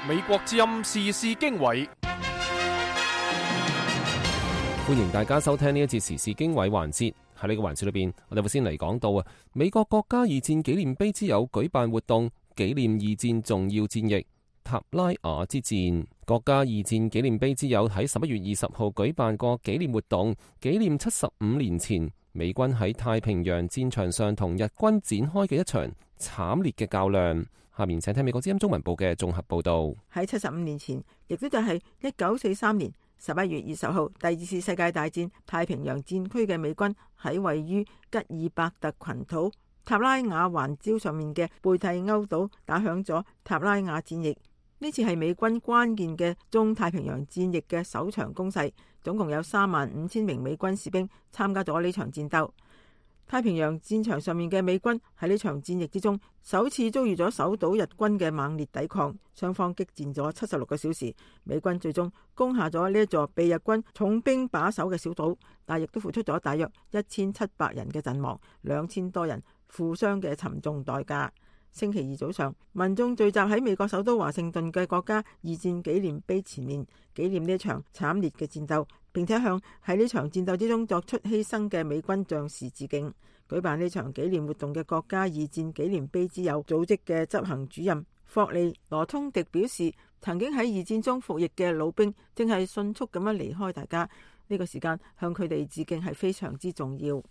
美國之音時事經緯，歡迎大家收聽呢一節時事經緯環節。喺呢個環節裏邊，我哋會先嚟講到美國國家二戰紀念碑之友舉辦活動，紀念二戰重要戰役塔拉瓦之戰。國家二戰紀念碑之友喺11月20號舉辦過紀念活動，紀念75年前美軍喺太平洋戰場上同日軍展開嘅一場慘烈嘅較量。下面請聽美國之音中文部嘅綜合報道。喺75年前，亦都就係1943年11月20號，第2次世界大戰太平洋戰區嘅美軍喺位於吉爾伯特群島塔拉瓦環礁上面嘅貝蒂歐島打響咗塔拉瓦戰役。呢次係美軍關鍵嘅中太平洋戰役嘅首場攻勢，總共有35,000名美軍士兵參加咗呢場戰鬥。太平洋戰場上面嘅美軍喺呢場戰役之中，首次遭遇咗守島日軍嘅猛烈抵抗，雙方激戰咗76個小時，美軍最終攻下咗呢一座被日軍重兵把守嘅小島，但亦都付出咗大約1700人嘅陣亡，2000多人負傷嘅沉重代價。星期二早上，民眾聚集喺美國首都華盛頓嘅國家二戰紀念碑前面，紀念呢一場慘烈嘅戰鬥，並且向喺呢場戰鬥之中作出犧牲嘅美軍將士致敬。舉辦呢場紀念活動嘅國家二戰紀念碑之友組織嘅執行主任霍利羅通迪表示，曾經喺二戰中服役嘅老兵正係迅速咁樣離開大家，呢個時間向佢哋致敬係非常之重要。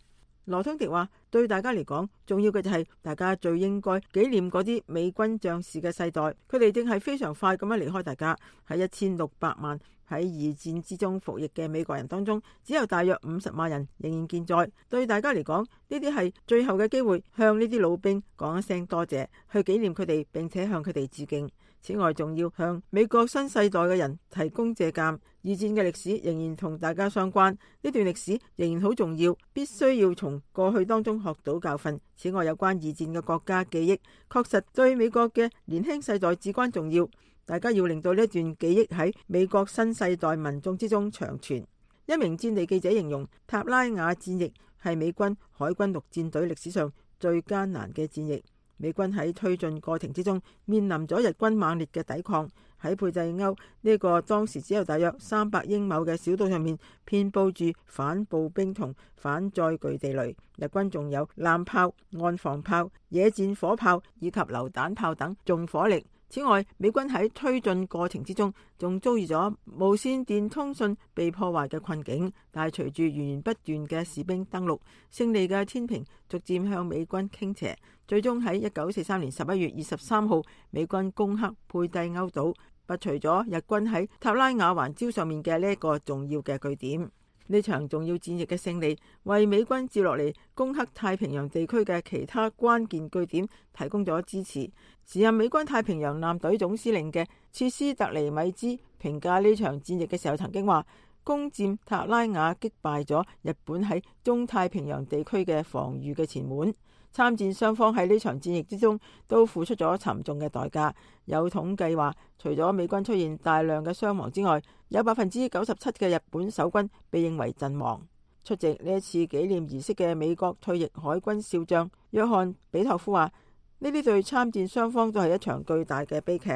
羅通迪話，對大家嚟講，重要嘅就係大家最應該紀念嗰啲美軍將士嘅世代，佢哋正係非常快咁樣離開大家。喺1600萬喺二戰之中服役嘅美國人當中，只有大約50萬人仍然健在。對大家嚟講，呢啲係最後嘅機會，向呢啲老兵講一聲多謝，去紀念佢哋，並且向佢哋致敬。此外，仲要向美國新世代嘅人提供借鑑。二戰嘅歷史仍然同大家相關，呢段歷史仍然好重要，必須要從過去當中學到教訓。此外，有關二戰嘅國家記憶，確實對美國嘅年輕世代至關重要。大家要令到呢一段記憶喺美國新世代民眾之中長存。一名戰地記者形容塔拉瓦戰役係美軍海軍陸戰隊歷史上最艱難嘅戰役。美軍喺推進過程之中面臨咗日軍猛烈嘅抵抗。喺貝蒂歐呢個當時只有大約300英畝嘅小島上面，遍佈住反步兵同反載具地雷。日軍仲有艦炮、岸防炮、野戰火炮以及榴彈炮等重火力。此外，美軍喺推進過程之中仲遭遇咗無線電通訊被破壞嘅困境，但係隨住源源不斷嘅士兵登陸，勝利嘅天平逐漸向美軍傾斜，最終喺1943年11月23號，美軍攻克貝蒂歐島，拔除咗日軍喺塔拉瓦環礁上面嘅呢一個重要嘅據點。呢場重要戰役嘅勝利，為美軍接落嚟攻克太平洋地區嘅其他關鍵據點提供咗支持。時任美軍太平洋艦隊總司令嘅切斯特尼米茲評價呢場戰役嘅時候曾經話，攻佔塔拉瓦擊敗咗日本喺中太平洋地區嘅防禦嘅前門。參戰雙方喺呢場戰役之中都付出咗沉重嘅代價。有統計話，除咗美軍出現大量嘅傷亡之外，有97%嘅日本守軍被認為陣亡。出席呢一次紀念儀式嘅美國退役海軍少將約翰比托夫話，呢啲對參戰雙方都係一場巨大嘅悲劇。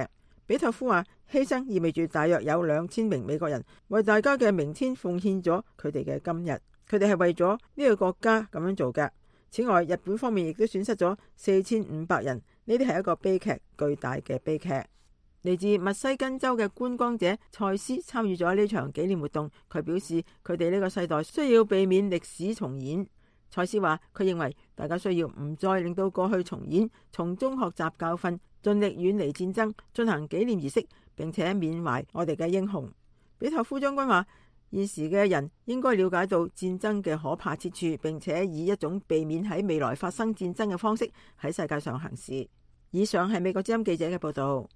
比托夫話，犧牲意味住大約有2000名美國人為大家嘅明天奉獻咗佢哋嘅今日，佢哋係為咗呢個國家咁樣做嘅。此外，日本方面亦都損失咗4500人，呢啲係一個悲劇，巨大嘅悲劇。嚟自密西根州嘅觀光者蔡斯參與咗呢場紀念活動，佢表示佢哋呢個世代需要避免歷史重演。蔡斯話，佢認為大家需要唔再令到過去重演，從中學習教訓，盡力遠離戰爭，進行紀念儀式，並且緬懷我哋嘅英雄。比托夫將軍話，現時嘅人應該了解到戰爭嘅可怕之處，並且以一種避免喺未來發生戰爭嘅方式喺世界上行事。以上係美國之音記者嘅報道。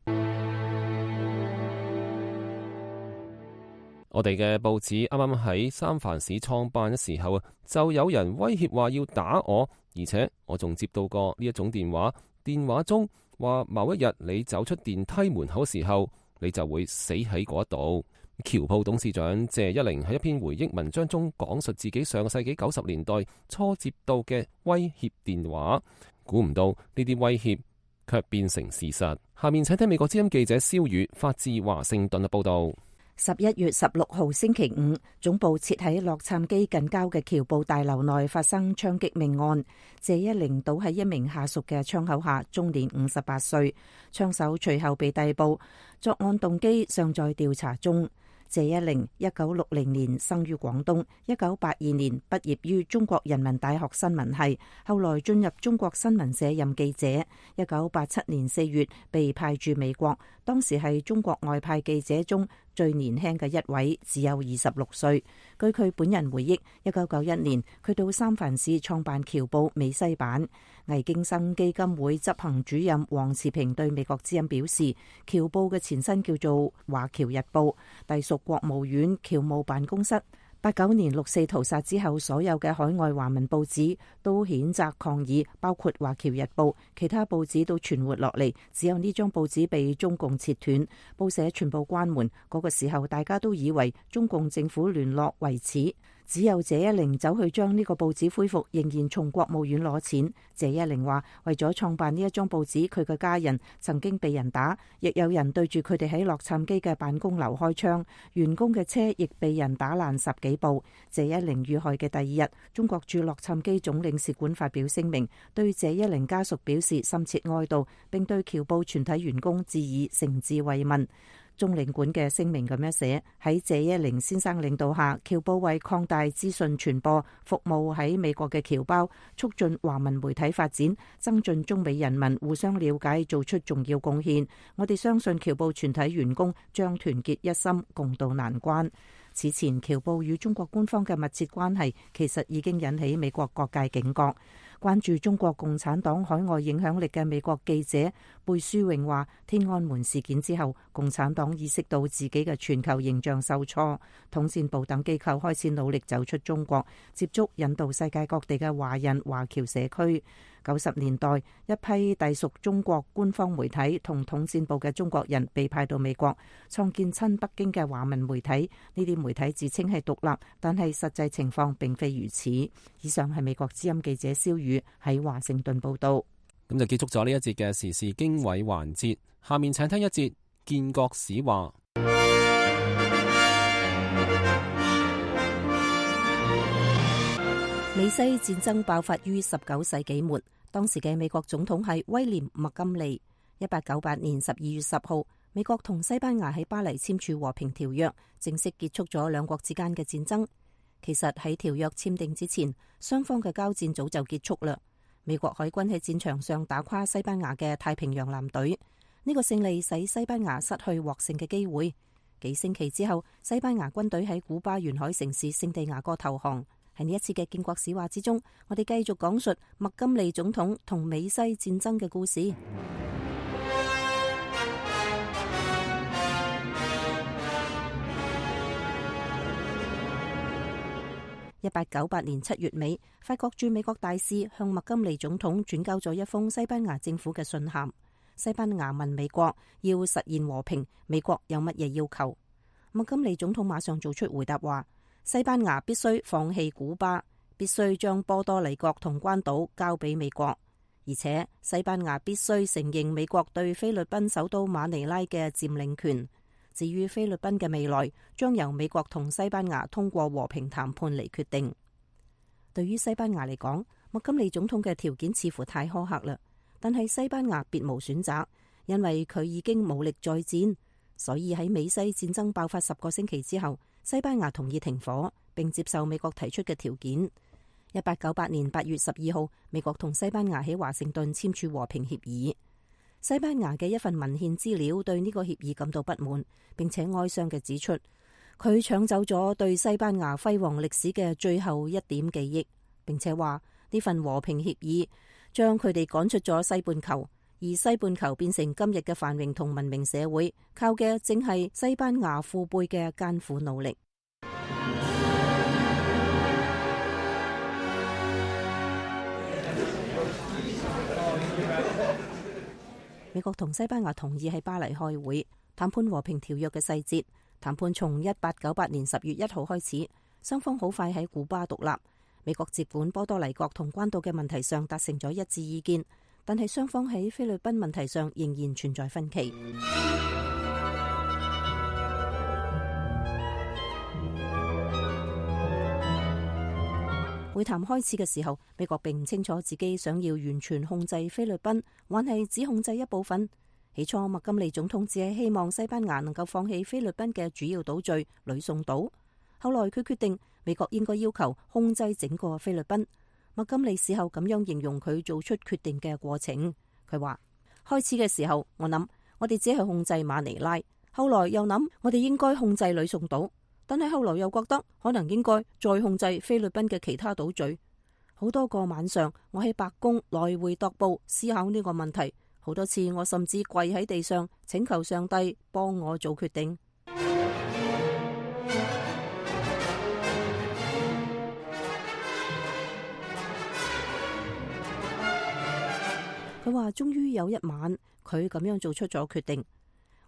我哋嘅報紙啱啱喺三藩市創辦嘅時候啊，就有人威脅話要打我，而且我仲接到過呢一種電話，電話中話某一日你走出電梯門口時候，你就會死喺嗰度。僑報董事長謝一玲喺一篇回憶文章中講述自己上個世紀90年代初接到嘅威脅電話，估唔到呢啲威脅卻變成事實。下面請聽美國之音記者蕭宇發自華盛頓嘅報道。11月16號星期五，總部設喺洛杉磯近郊嘅僑報大樓內發生槍擊命案。謝一玲倒喺一名下屬嘅槍口下，終年58歲。槍手隨後被逮捕，作案動機尚在調查中。謝一玲1960年生於廣東，1982年畢業於中國人民大學新聞系，後來進入中國新聞社任記者。1987年4月被派駐美國，當時係中國外派記者中最年輕嘅一位，只有26歲。據佢本人回憶，1991年佢到三藩市創辦僑報美西版。魏京生基金會執行主任黃慈平對美國之音表示，僑報嘅前身叫做華僑日報，隸屬國務院僑務辦公室。89年六四屠殺之後，所有嘅海外華文報紙都譴責抗議，包括華僑日報，其他報紙都存活落嚟，只有呢張報紙被中共切斷，報社全部關門。嗰個時候大家都以為中共政府聯絡為此，只有謝一玲走去將呢個報紙恢復，仍然從國務院攞錢。謝一玲話，為咗創辦呢一張報紙，佢嘅家人曾經被人打，亦有人對住佢哋喺洛杉磯嘅辦公樓開槍，員工嘅車亦被人打爛10幾部。謝一玲遇害嘅第二日，中國駐洛杉磯總領事館發表聲明，對謝一玲家屬表示深切哀悼，並對僑報全體員工致以誠摯慰問。中領館嘅聲明咁樣寫：喺謝一玲先生領導下，僑報為擴大資訊傳播服務喺美國嘅僑胞，促進華文媒體發展，增進中美人民互相了解，做出重要貢獻。我哋相信僑報全體員工將團結一心，共度難關。此前，僑報與中國官方嘅密切關係其實已經引起美國各界警覺。關注中國共產黨海外影響力嘅美國記者貝舒穎話，天安門事件之後，共產黨意識到自己嘅全球形象受挫，統戰部等機構開始努力走出中國，接觸引導世界各地嘅華人華僑社區。90年代，一批隸屬中國官方媒體同統戰部嘅中國人被派到美國，創建親北京嘅華文媒體。呢啲媒體自稱係獨立，但係實際情況並非如此。以上係美國之音記者蕭宇喺華盛頓報道。咁就結束咗呢一節嘅時事經緯環節，下面請聽一節建國史話。美西戰爭爆發於19世紀末，當時嘅美國總統係威廉麥金利。1898年12月10號，美國同西班牙喺巴黎簽署和平條約，正式結束咗兩國之間嘅戰爭。其實喺條約簽訂之前，雙方嘅交戰早就結束啦。美國海軍喺戰場上打垮西班牙嘅太平洋艦隊，呢個勝利使西班牙失去獲勝嘅機會。幾星期之後，西班牙軍隊喺古巴沿海城市聖地亞哥投降。喺呢一次嘅建國史話之中，我哋繼續講述麥金利總統同美西戰爭嘅故事。1898年7月尾，法國駐美國大使向麥金利總統轉交咗一封西班牙政府嘅信函。西班牙問美國要實現和平，美國有乜嘢要求？麥金利總統馬上做出回答話，西班牙必須放棄古巴，必須將波多黎各同關島交俾美國，而且西班牙必須承認美國對菲律賓首都馬尼拉嘅佔領權。至於菲律賓嘅未來，將由美國同西班牙通過和平談判嚟決定。對於西班牙嚟講，麥金利總統嘅條件似乎太苛刻啦，但係西班牙別無選擇，因為佢已經武力再戰，所以喺美西戰爭爆發10個星期之後，西班牙同意停火，並接受美國提出嘅條件。1898年8月12號，美國同西班牙喺華盛頓簽署和平協議。西班牙嘅一份文獻資料對呢個協議感到不滿，並且哀傷嘅指出，佢搶走咗對西班牙輝煌歷史嘅最後一點記憶，並且話呢份和平協議將佢哋趕出咗西半球，而西半球變成今日嘅繁榮同文明社會，靠嘅正係西班牙父輩嘅艱苦努力。美國同西班牙同意喺巴黎開會談判和平條約嘅細節。談判從1898年10月1號開始，雙方好快喺古巴獨立。美國接管波多黎各同關島嘅問題上達成咗一致意見，但係雙方喺菲律賓問題上仍然存在分歧。會談開始嘅時候，美國並唔清楚自己想要完全控制菲律賓，還係只控制一部分。起初，麥金利總統只係希望西班牙能夠放棄菲律賓嘅主要島嶼呂宋島。後來佢決定美國應該要求控制整個菲律賓。麥金利事後咁樣形容佢做出決定嘅過程。佢話：開始嘅時候，我諗我哋只係控制馬尼拉，後來又諗我哋應該控制呂宋島，但係後來又覺得可能應該再控制菲律賓嘅其他島嶼。好多個晚上，我喺白宮來回踱步思考呢個問題。好多次，我甚至跪喺地上請求上帝幫我做決定。佢話終於有一晚，佢咁樣做出咗決定。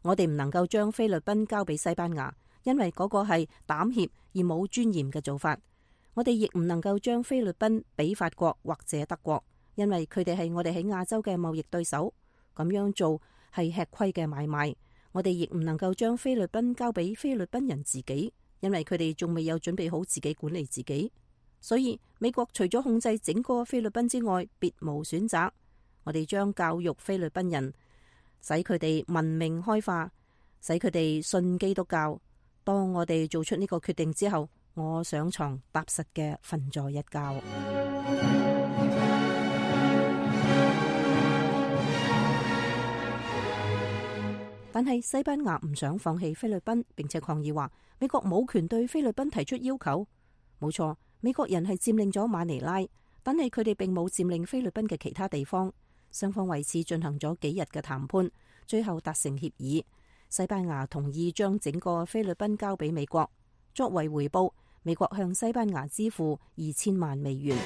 我哋唔能夠將菲律賓交俾西班牙，因為嗰個係膽怯而冇尊嚴嘅做法。我哋亦唔能夠將菲律賓俾法國或者德國，因為佢哋係我哋喺亞洲嘅貿易對手。咁樣做係吃虧嘅買賣。我哋亦唔能夠將菲律賓交俾菲律賓人自己，因為佢哋仲未有準備好自己管理自己。所以美國除咗控制整個菲律賓之外，別無選擇。我哋將教育菲律賓人，使佢哋文明開化，使佢哋信基督教。當我哋做出呢個決定之後，我上床踏實嘅瞓咗一覺。但係西班牙唔想放棄菲律賓，並且抗議話美國冇權對菲律賓提出要求。冇錯，美國人係佔領咗馬尼拉，但係佢哋並冇佔領菲律賓嘅其他地方。雙方為此進行咗幾日嘅談判，最後達成協議。西班牙同意將整個菲律賓交俾美國，作為回報，美國向西班牙支付2000萬美元。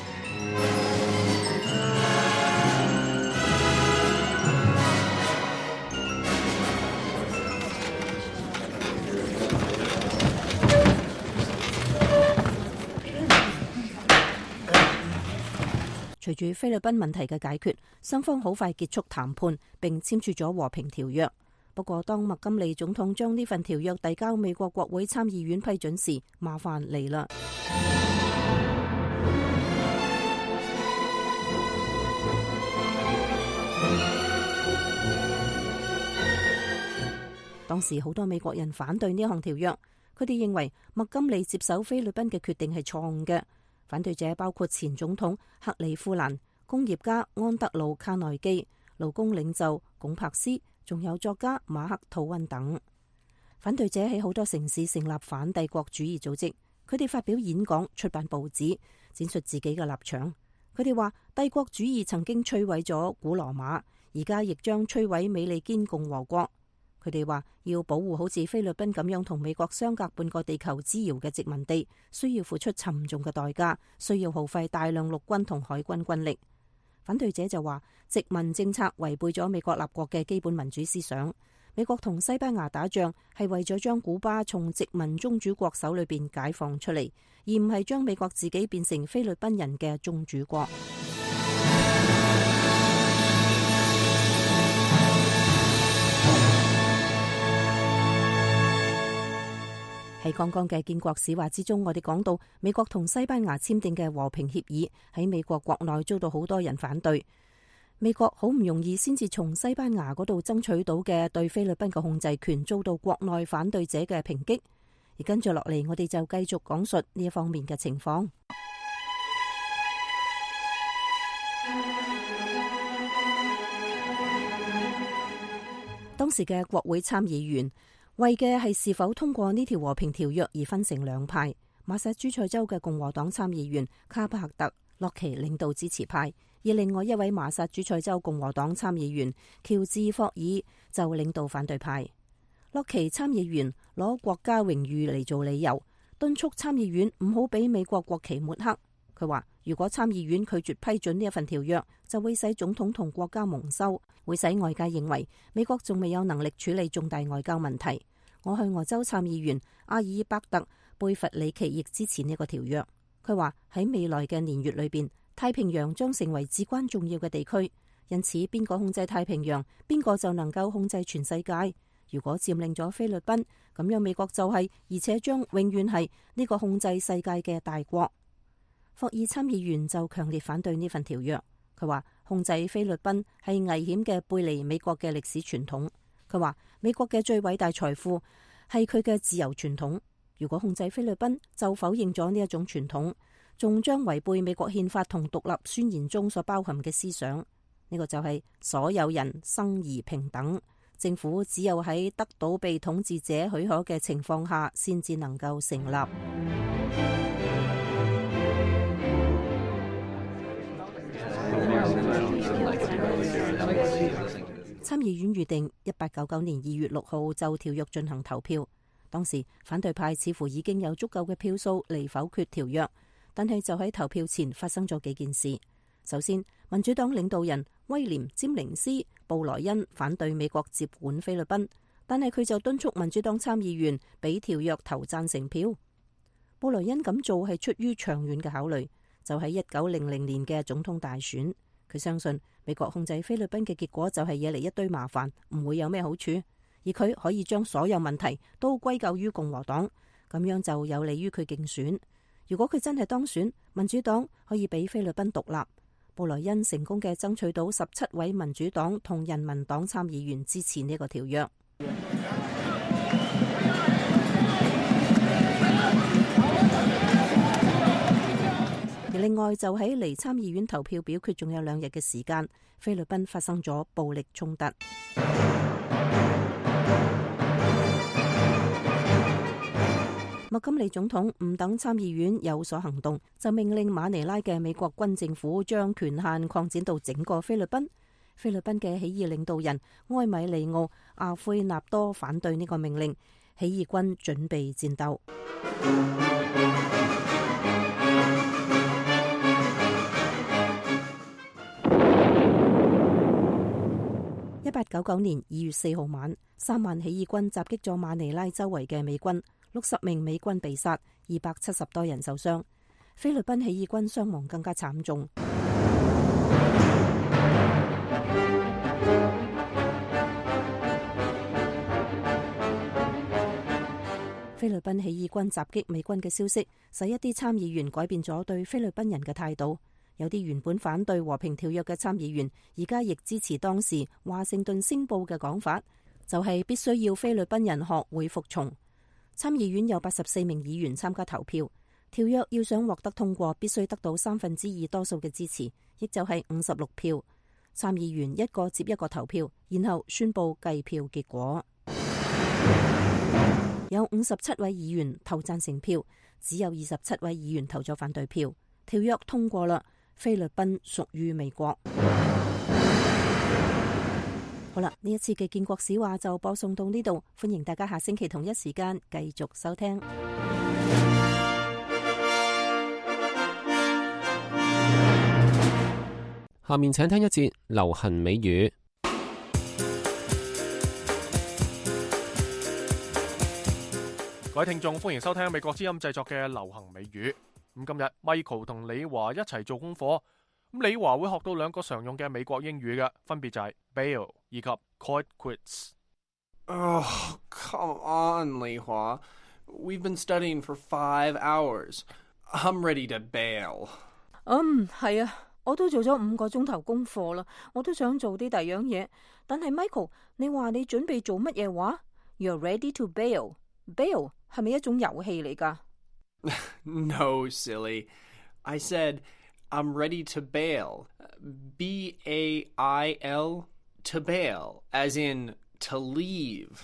隨住菲律賓問題嘅解決，雙方好快結束談判，並簽署咗和平條約。不過，當麥金利總統將呢份條約遞交美國國會參議院批准時，麻煩嚟啦。當時好多美國人反對呢項條約，佢哋認為麥金利接手菲律賓嘅決定係錯誤嘅。反對者包括前總統克里夫蘭、工業家安德魯卡內基、勞工領袖龔柏斯，仲有作家馬克吐溫等。反對者喺好多城市成立反帝國主義組織，佢哋發表演講、出版報紙，展述自己嘅立場。佢哋話帝國主義曾經摧毀咗古羅馬，而家亦將摧毀美利堅共和國。佢哋話要保護好似菲律賓咁樣同美國相隔半個地球之遙嘅殖民地，需要付出沉重嘅代價，需要耗費大量陸軍同海軍軍力。反對者就話殖民政策違背咗美國立國嘅基本民主思想。美國同西班牙打仗係為咗將古巴從殖民宗主國手裏邊解放出嚟，而唔係將美國自己變成菲律賓人嘅宗主國。喺剛剛嘅建國史話之中，我哋講到美國同西班牙簽訂嘅和平協議喺美國國內遭到好多人反對。美國好唔容易先至從西班牙嗰度爭取到嘅對菲律賓嘅控制權，遭到國內反對者嘅抨擊。而跟住落嚟，我哋就繼續講述呢一方面嘅情況。當時嘅國會參議員為嘅係是否通過呢條和平條約而分成兩派。馬薩諸塞州嘅共和黨參議員卡帕克特洛奇領導支持派，而另外一位馬薩諸塞州共和黨參議員喬治霍爾就領導反對派。洛奇參議員攞國家榮譽嚟做理由，敦促參議院唔好俾美國國旗抹黑。佢話如果參議院拒絕批准呢一份條約，就會使總統同國家蒙羞，會使外界認為美國仲未有能力處理重大外交問題。我去俄州參議員阿爾伯特貝弗里奇亦支持呢個條約。佢話喺未來嘅年月裏邊，太平洋將成為至關重要嘅地區，因此邊個控制太平洋，邊個就能夠控制全世界。如果佔領咗菲律賓，咁樣美國就係，而且將永遠係呢個控制世界嘅大國。霍爾參議員就強烈反對呢份條約。佢話控制菲律賓係危險嘅，背離美國嘅歷史傳統。佢話美國嘅最偉大財富係佢嘅自由傳統。如果控制菲律賓，就否認咗呢一種傳統，仲將違背美國憲法同獨立宣言中所包含嘅思想。呢個就係所有人生而平等。政府只有喺得到被統治者許可嘅情況下，先至能夠成立。參議院預定1899年2月6號就條約進行投票。當時反對派似乎已經有足夠嘅票數嚟否決條約，但係就喺投票前發生咗幾件事。首先，民主黨領導人威廉·詹寧斯·布萊恩反對美國接管菲律賓，但係佢就敦促民主黨參議員俾條約投贊成票。布萊恩咁做係出於長遠嘅考慮，就喺1900年嘅總統大選，佢相信美國控制菲律賓嘅結果就係惹嚟一堆麻煩，唔會有咩好處，而佢可以將所有問題都歸咎於共和黨，咁樣就有利於佢競選。如果佢真係當選，民主黨可以俾菲律賓獨立。布萊恩成功嘅爭取到17位民主黨同人民黨參議員支持呢個條約。而另外就喺離參議院投票表決仲有2日嘅時間，菲律賓發生咗暴力衝突。麥金利總統唔等參議院有所行動，就命令馬尼拉嘅美國軍政府將權限擴展到整個菲律賓。菲律賓嘅起義領導人埃米利奧·阿奎納多反對呢個命令，起義軍準備戰鬥。1899年2月4號晚，3萬起義軍襲擊咗馬尼拉周圍嘅美軍，60名美軍被殺，270多人受傷。菲律賓起義軍傷亡更加慘重。菲律賓起義軍襲擊美軍嘅消息，使一啲參議員改變咗對菲律賓人嘅態度。有啲原本反對和平條約嘅參議員，而家亦支持當時華盛頓星報嘅講法，就係必須要菲律賓人學會服從。參議院有84名議員參加投票，條約要想獲得通過，必須得到2/3多數嘅支持，亦就係56票。參議員一個接一個投票，然後宣布計票結果。有57位議員投贊成票，只有27位議員投咗反對票。條約通過啦。菲律賓屬於美國。好啦，呢一次嘅建國史話就播送到呢度，歡迎大家下星期同一時間繼續收聽。下面請聽一節流行美語。各位聽眾，歡迎收聽美國之音製作嘅流行美語。咁今日 Michael 同李華一齊做功課，咁李華會學到2個常用嘅美國英語嘅，分別就係 bail 以及 call it quits。 Oh, come on, 李華. We've been studying for 5 hours. I'm ready to bail. 係啊，我都做咗5個鐘頭功課啦，我都想做啲第樣嘢。但係 Michael， 你話你準備做乜嘢話？ You're ready to bail. Bail 係咪一種遊戲嚟㗎？No, silly. I said, I'm ready to bail. B-A-I-L, to bail, as in to leave.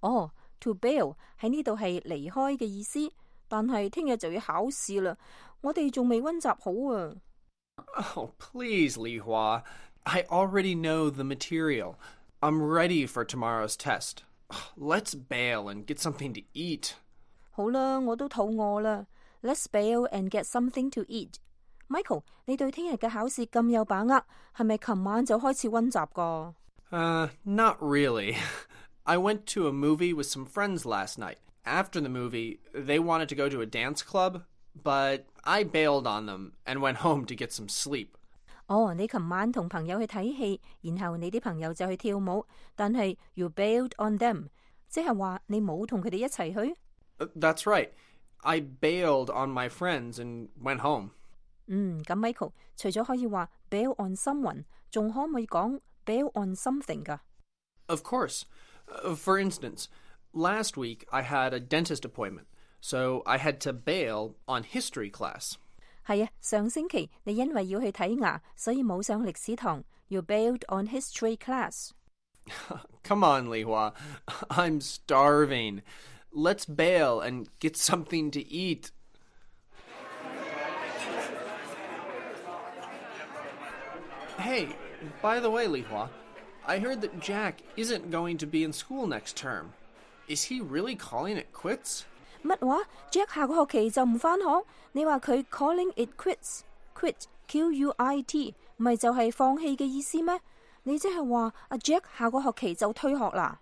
To bail 喺呢度係離開嘅意思，但係聽日就要考試啦，我哋仲未溫習好啊。Oh, please, Li Hua. I already know the material. I'm ready for tomorrow's test. Let's bail and get something to eat. 好啦，我都肚餓啦。Let's bail and get something to eat. Michael， 你對聽日嘅考試咁有把握，係咪琴晚就開始溫習㗎？Not really. I went to a movie with some friends last night. After the movie, they wanted to go to a dance club, but I bailed on them and went home to get some sleep. 你琴晚同朋友去睇戲，然後你啲朋友就去跳舞，但係 you bailed on them， 即係話你冇同佢哋一齊去？That's right. I bailed on my friends and went home. 咁 Michael 除咗可以話 bail on someone， 仲可唔可以講 bail on something 㗎？ Of course. For instance, last week I had a dentist appointment, so I had to bail on history class. 係啊，上星期你因為要去睇牙，所以冇上歷史堂。You bailed on history class. Come on, Lihua. I'm starving. Let's bail and get something to eat. Hey, by the way, Lihua, I heard that Jack isn't going to be in school next term. Is he really calling it quits? 乜話 ？Jack 下個學期就唔返學？你話佢 calling it quits，quit Q-U-I-T， 咪就係放棄嘅意思咩？你即係話阿 Jack 下個學期就退學啦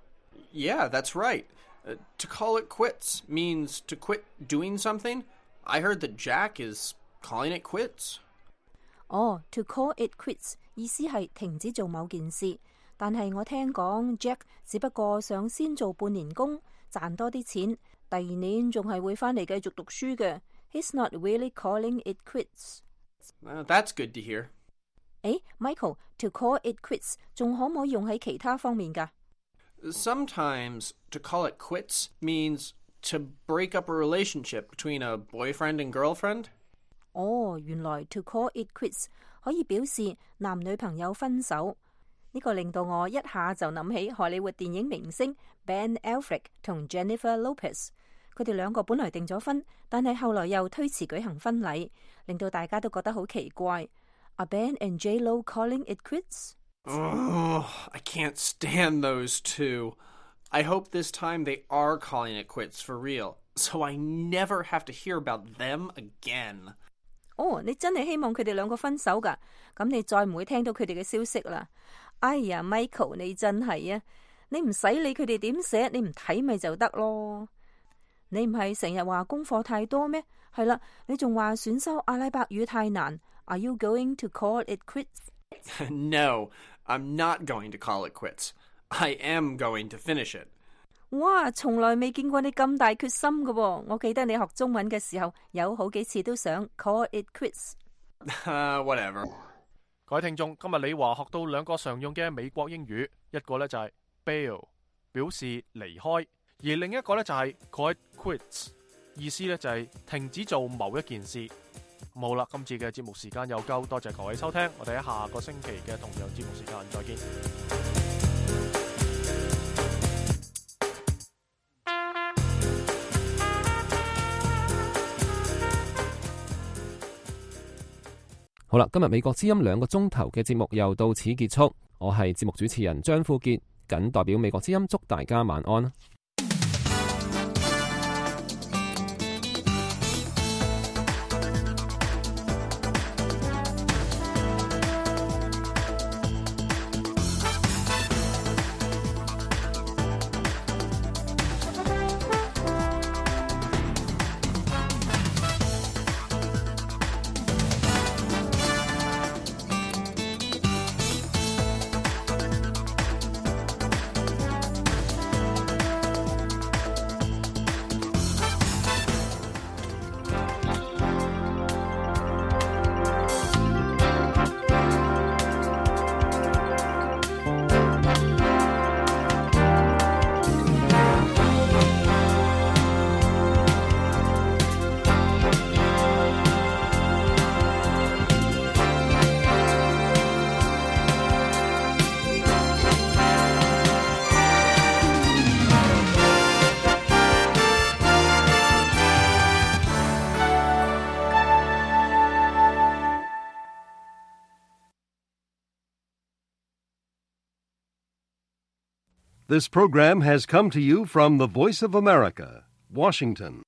？Yeah, that's right. To call it quits means to quit doing something. I heard that Jack is calling it quits. To call it quits 意思係停止做某件事，但係我聽講 Jack 只不過想先做半年工，賺多啲錢，第二年仲係會返嚟繼續讀書嘅。He's not really calling it quits. That's good to hear. Michael, to call it quits 仲可唔可以用喺其他方面㗎？ Sometimes to call it quits means to break up a relationship between a boyfriend and girlfriend. 原來 to call it quits 可以表示男女朋友分手。呢個令到我一下就諗起荷里活電影明星 Ben Affleck 同 Jennifer Lopez。佢哋兩個本來訂咗婚，但係後來又推遲舉行婚禮，令到大家都覺得好奇怪。Are Ben and J-Lo calling it quits? I can't stand those two. I hope this time they are calling it quits for real, so I never have to hear about them again. 你真係希望佢哋兩個分手㗎？咁你再唔會聽到佢哋嘅消息啦。哎呀 ，Michael， 你真係啊！你唔使理佢哋點寫，你唔睇咪就得咯。你唔係成日話功課太多咩？係啦，你仲話選修阿拉伯語太難。Are you going to call it quits? No, I'm not going to call it quits. I am going to finish it. 哇，從來未見過你咁大決心㗎喎！我記得你學中文嘅時候，有好幾次都想 call it quits. Whatever. 各位聽眾，今日李華學到兩個常用嘅美國英語，一個呢就係 bail， 表示離開，而另一個呢就係 call it quits， 意思呢就係停止做某一件事。好啦，今次嘅節目時間又夠，多謝各位收聽，我哋喺下個星期嘅同樣節目時間再見。好啦，今日美國之音2個鐘頭嘅節目又到此結束。我係節目主持人張富傑，謹代表美國之音祝大家晚安。This program has come to you from the Voice of America, Washington.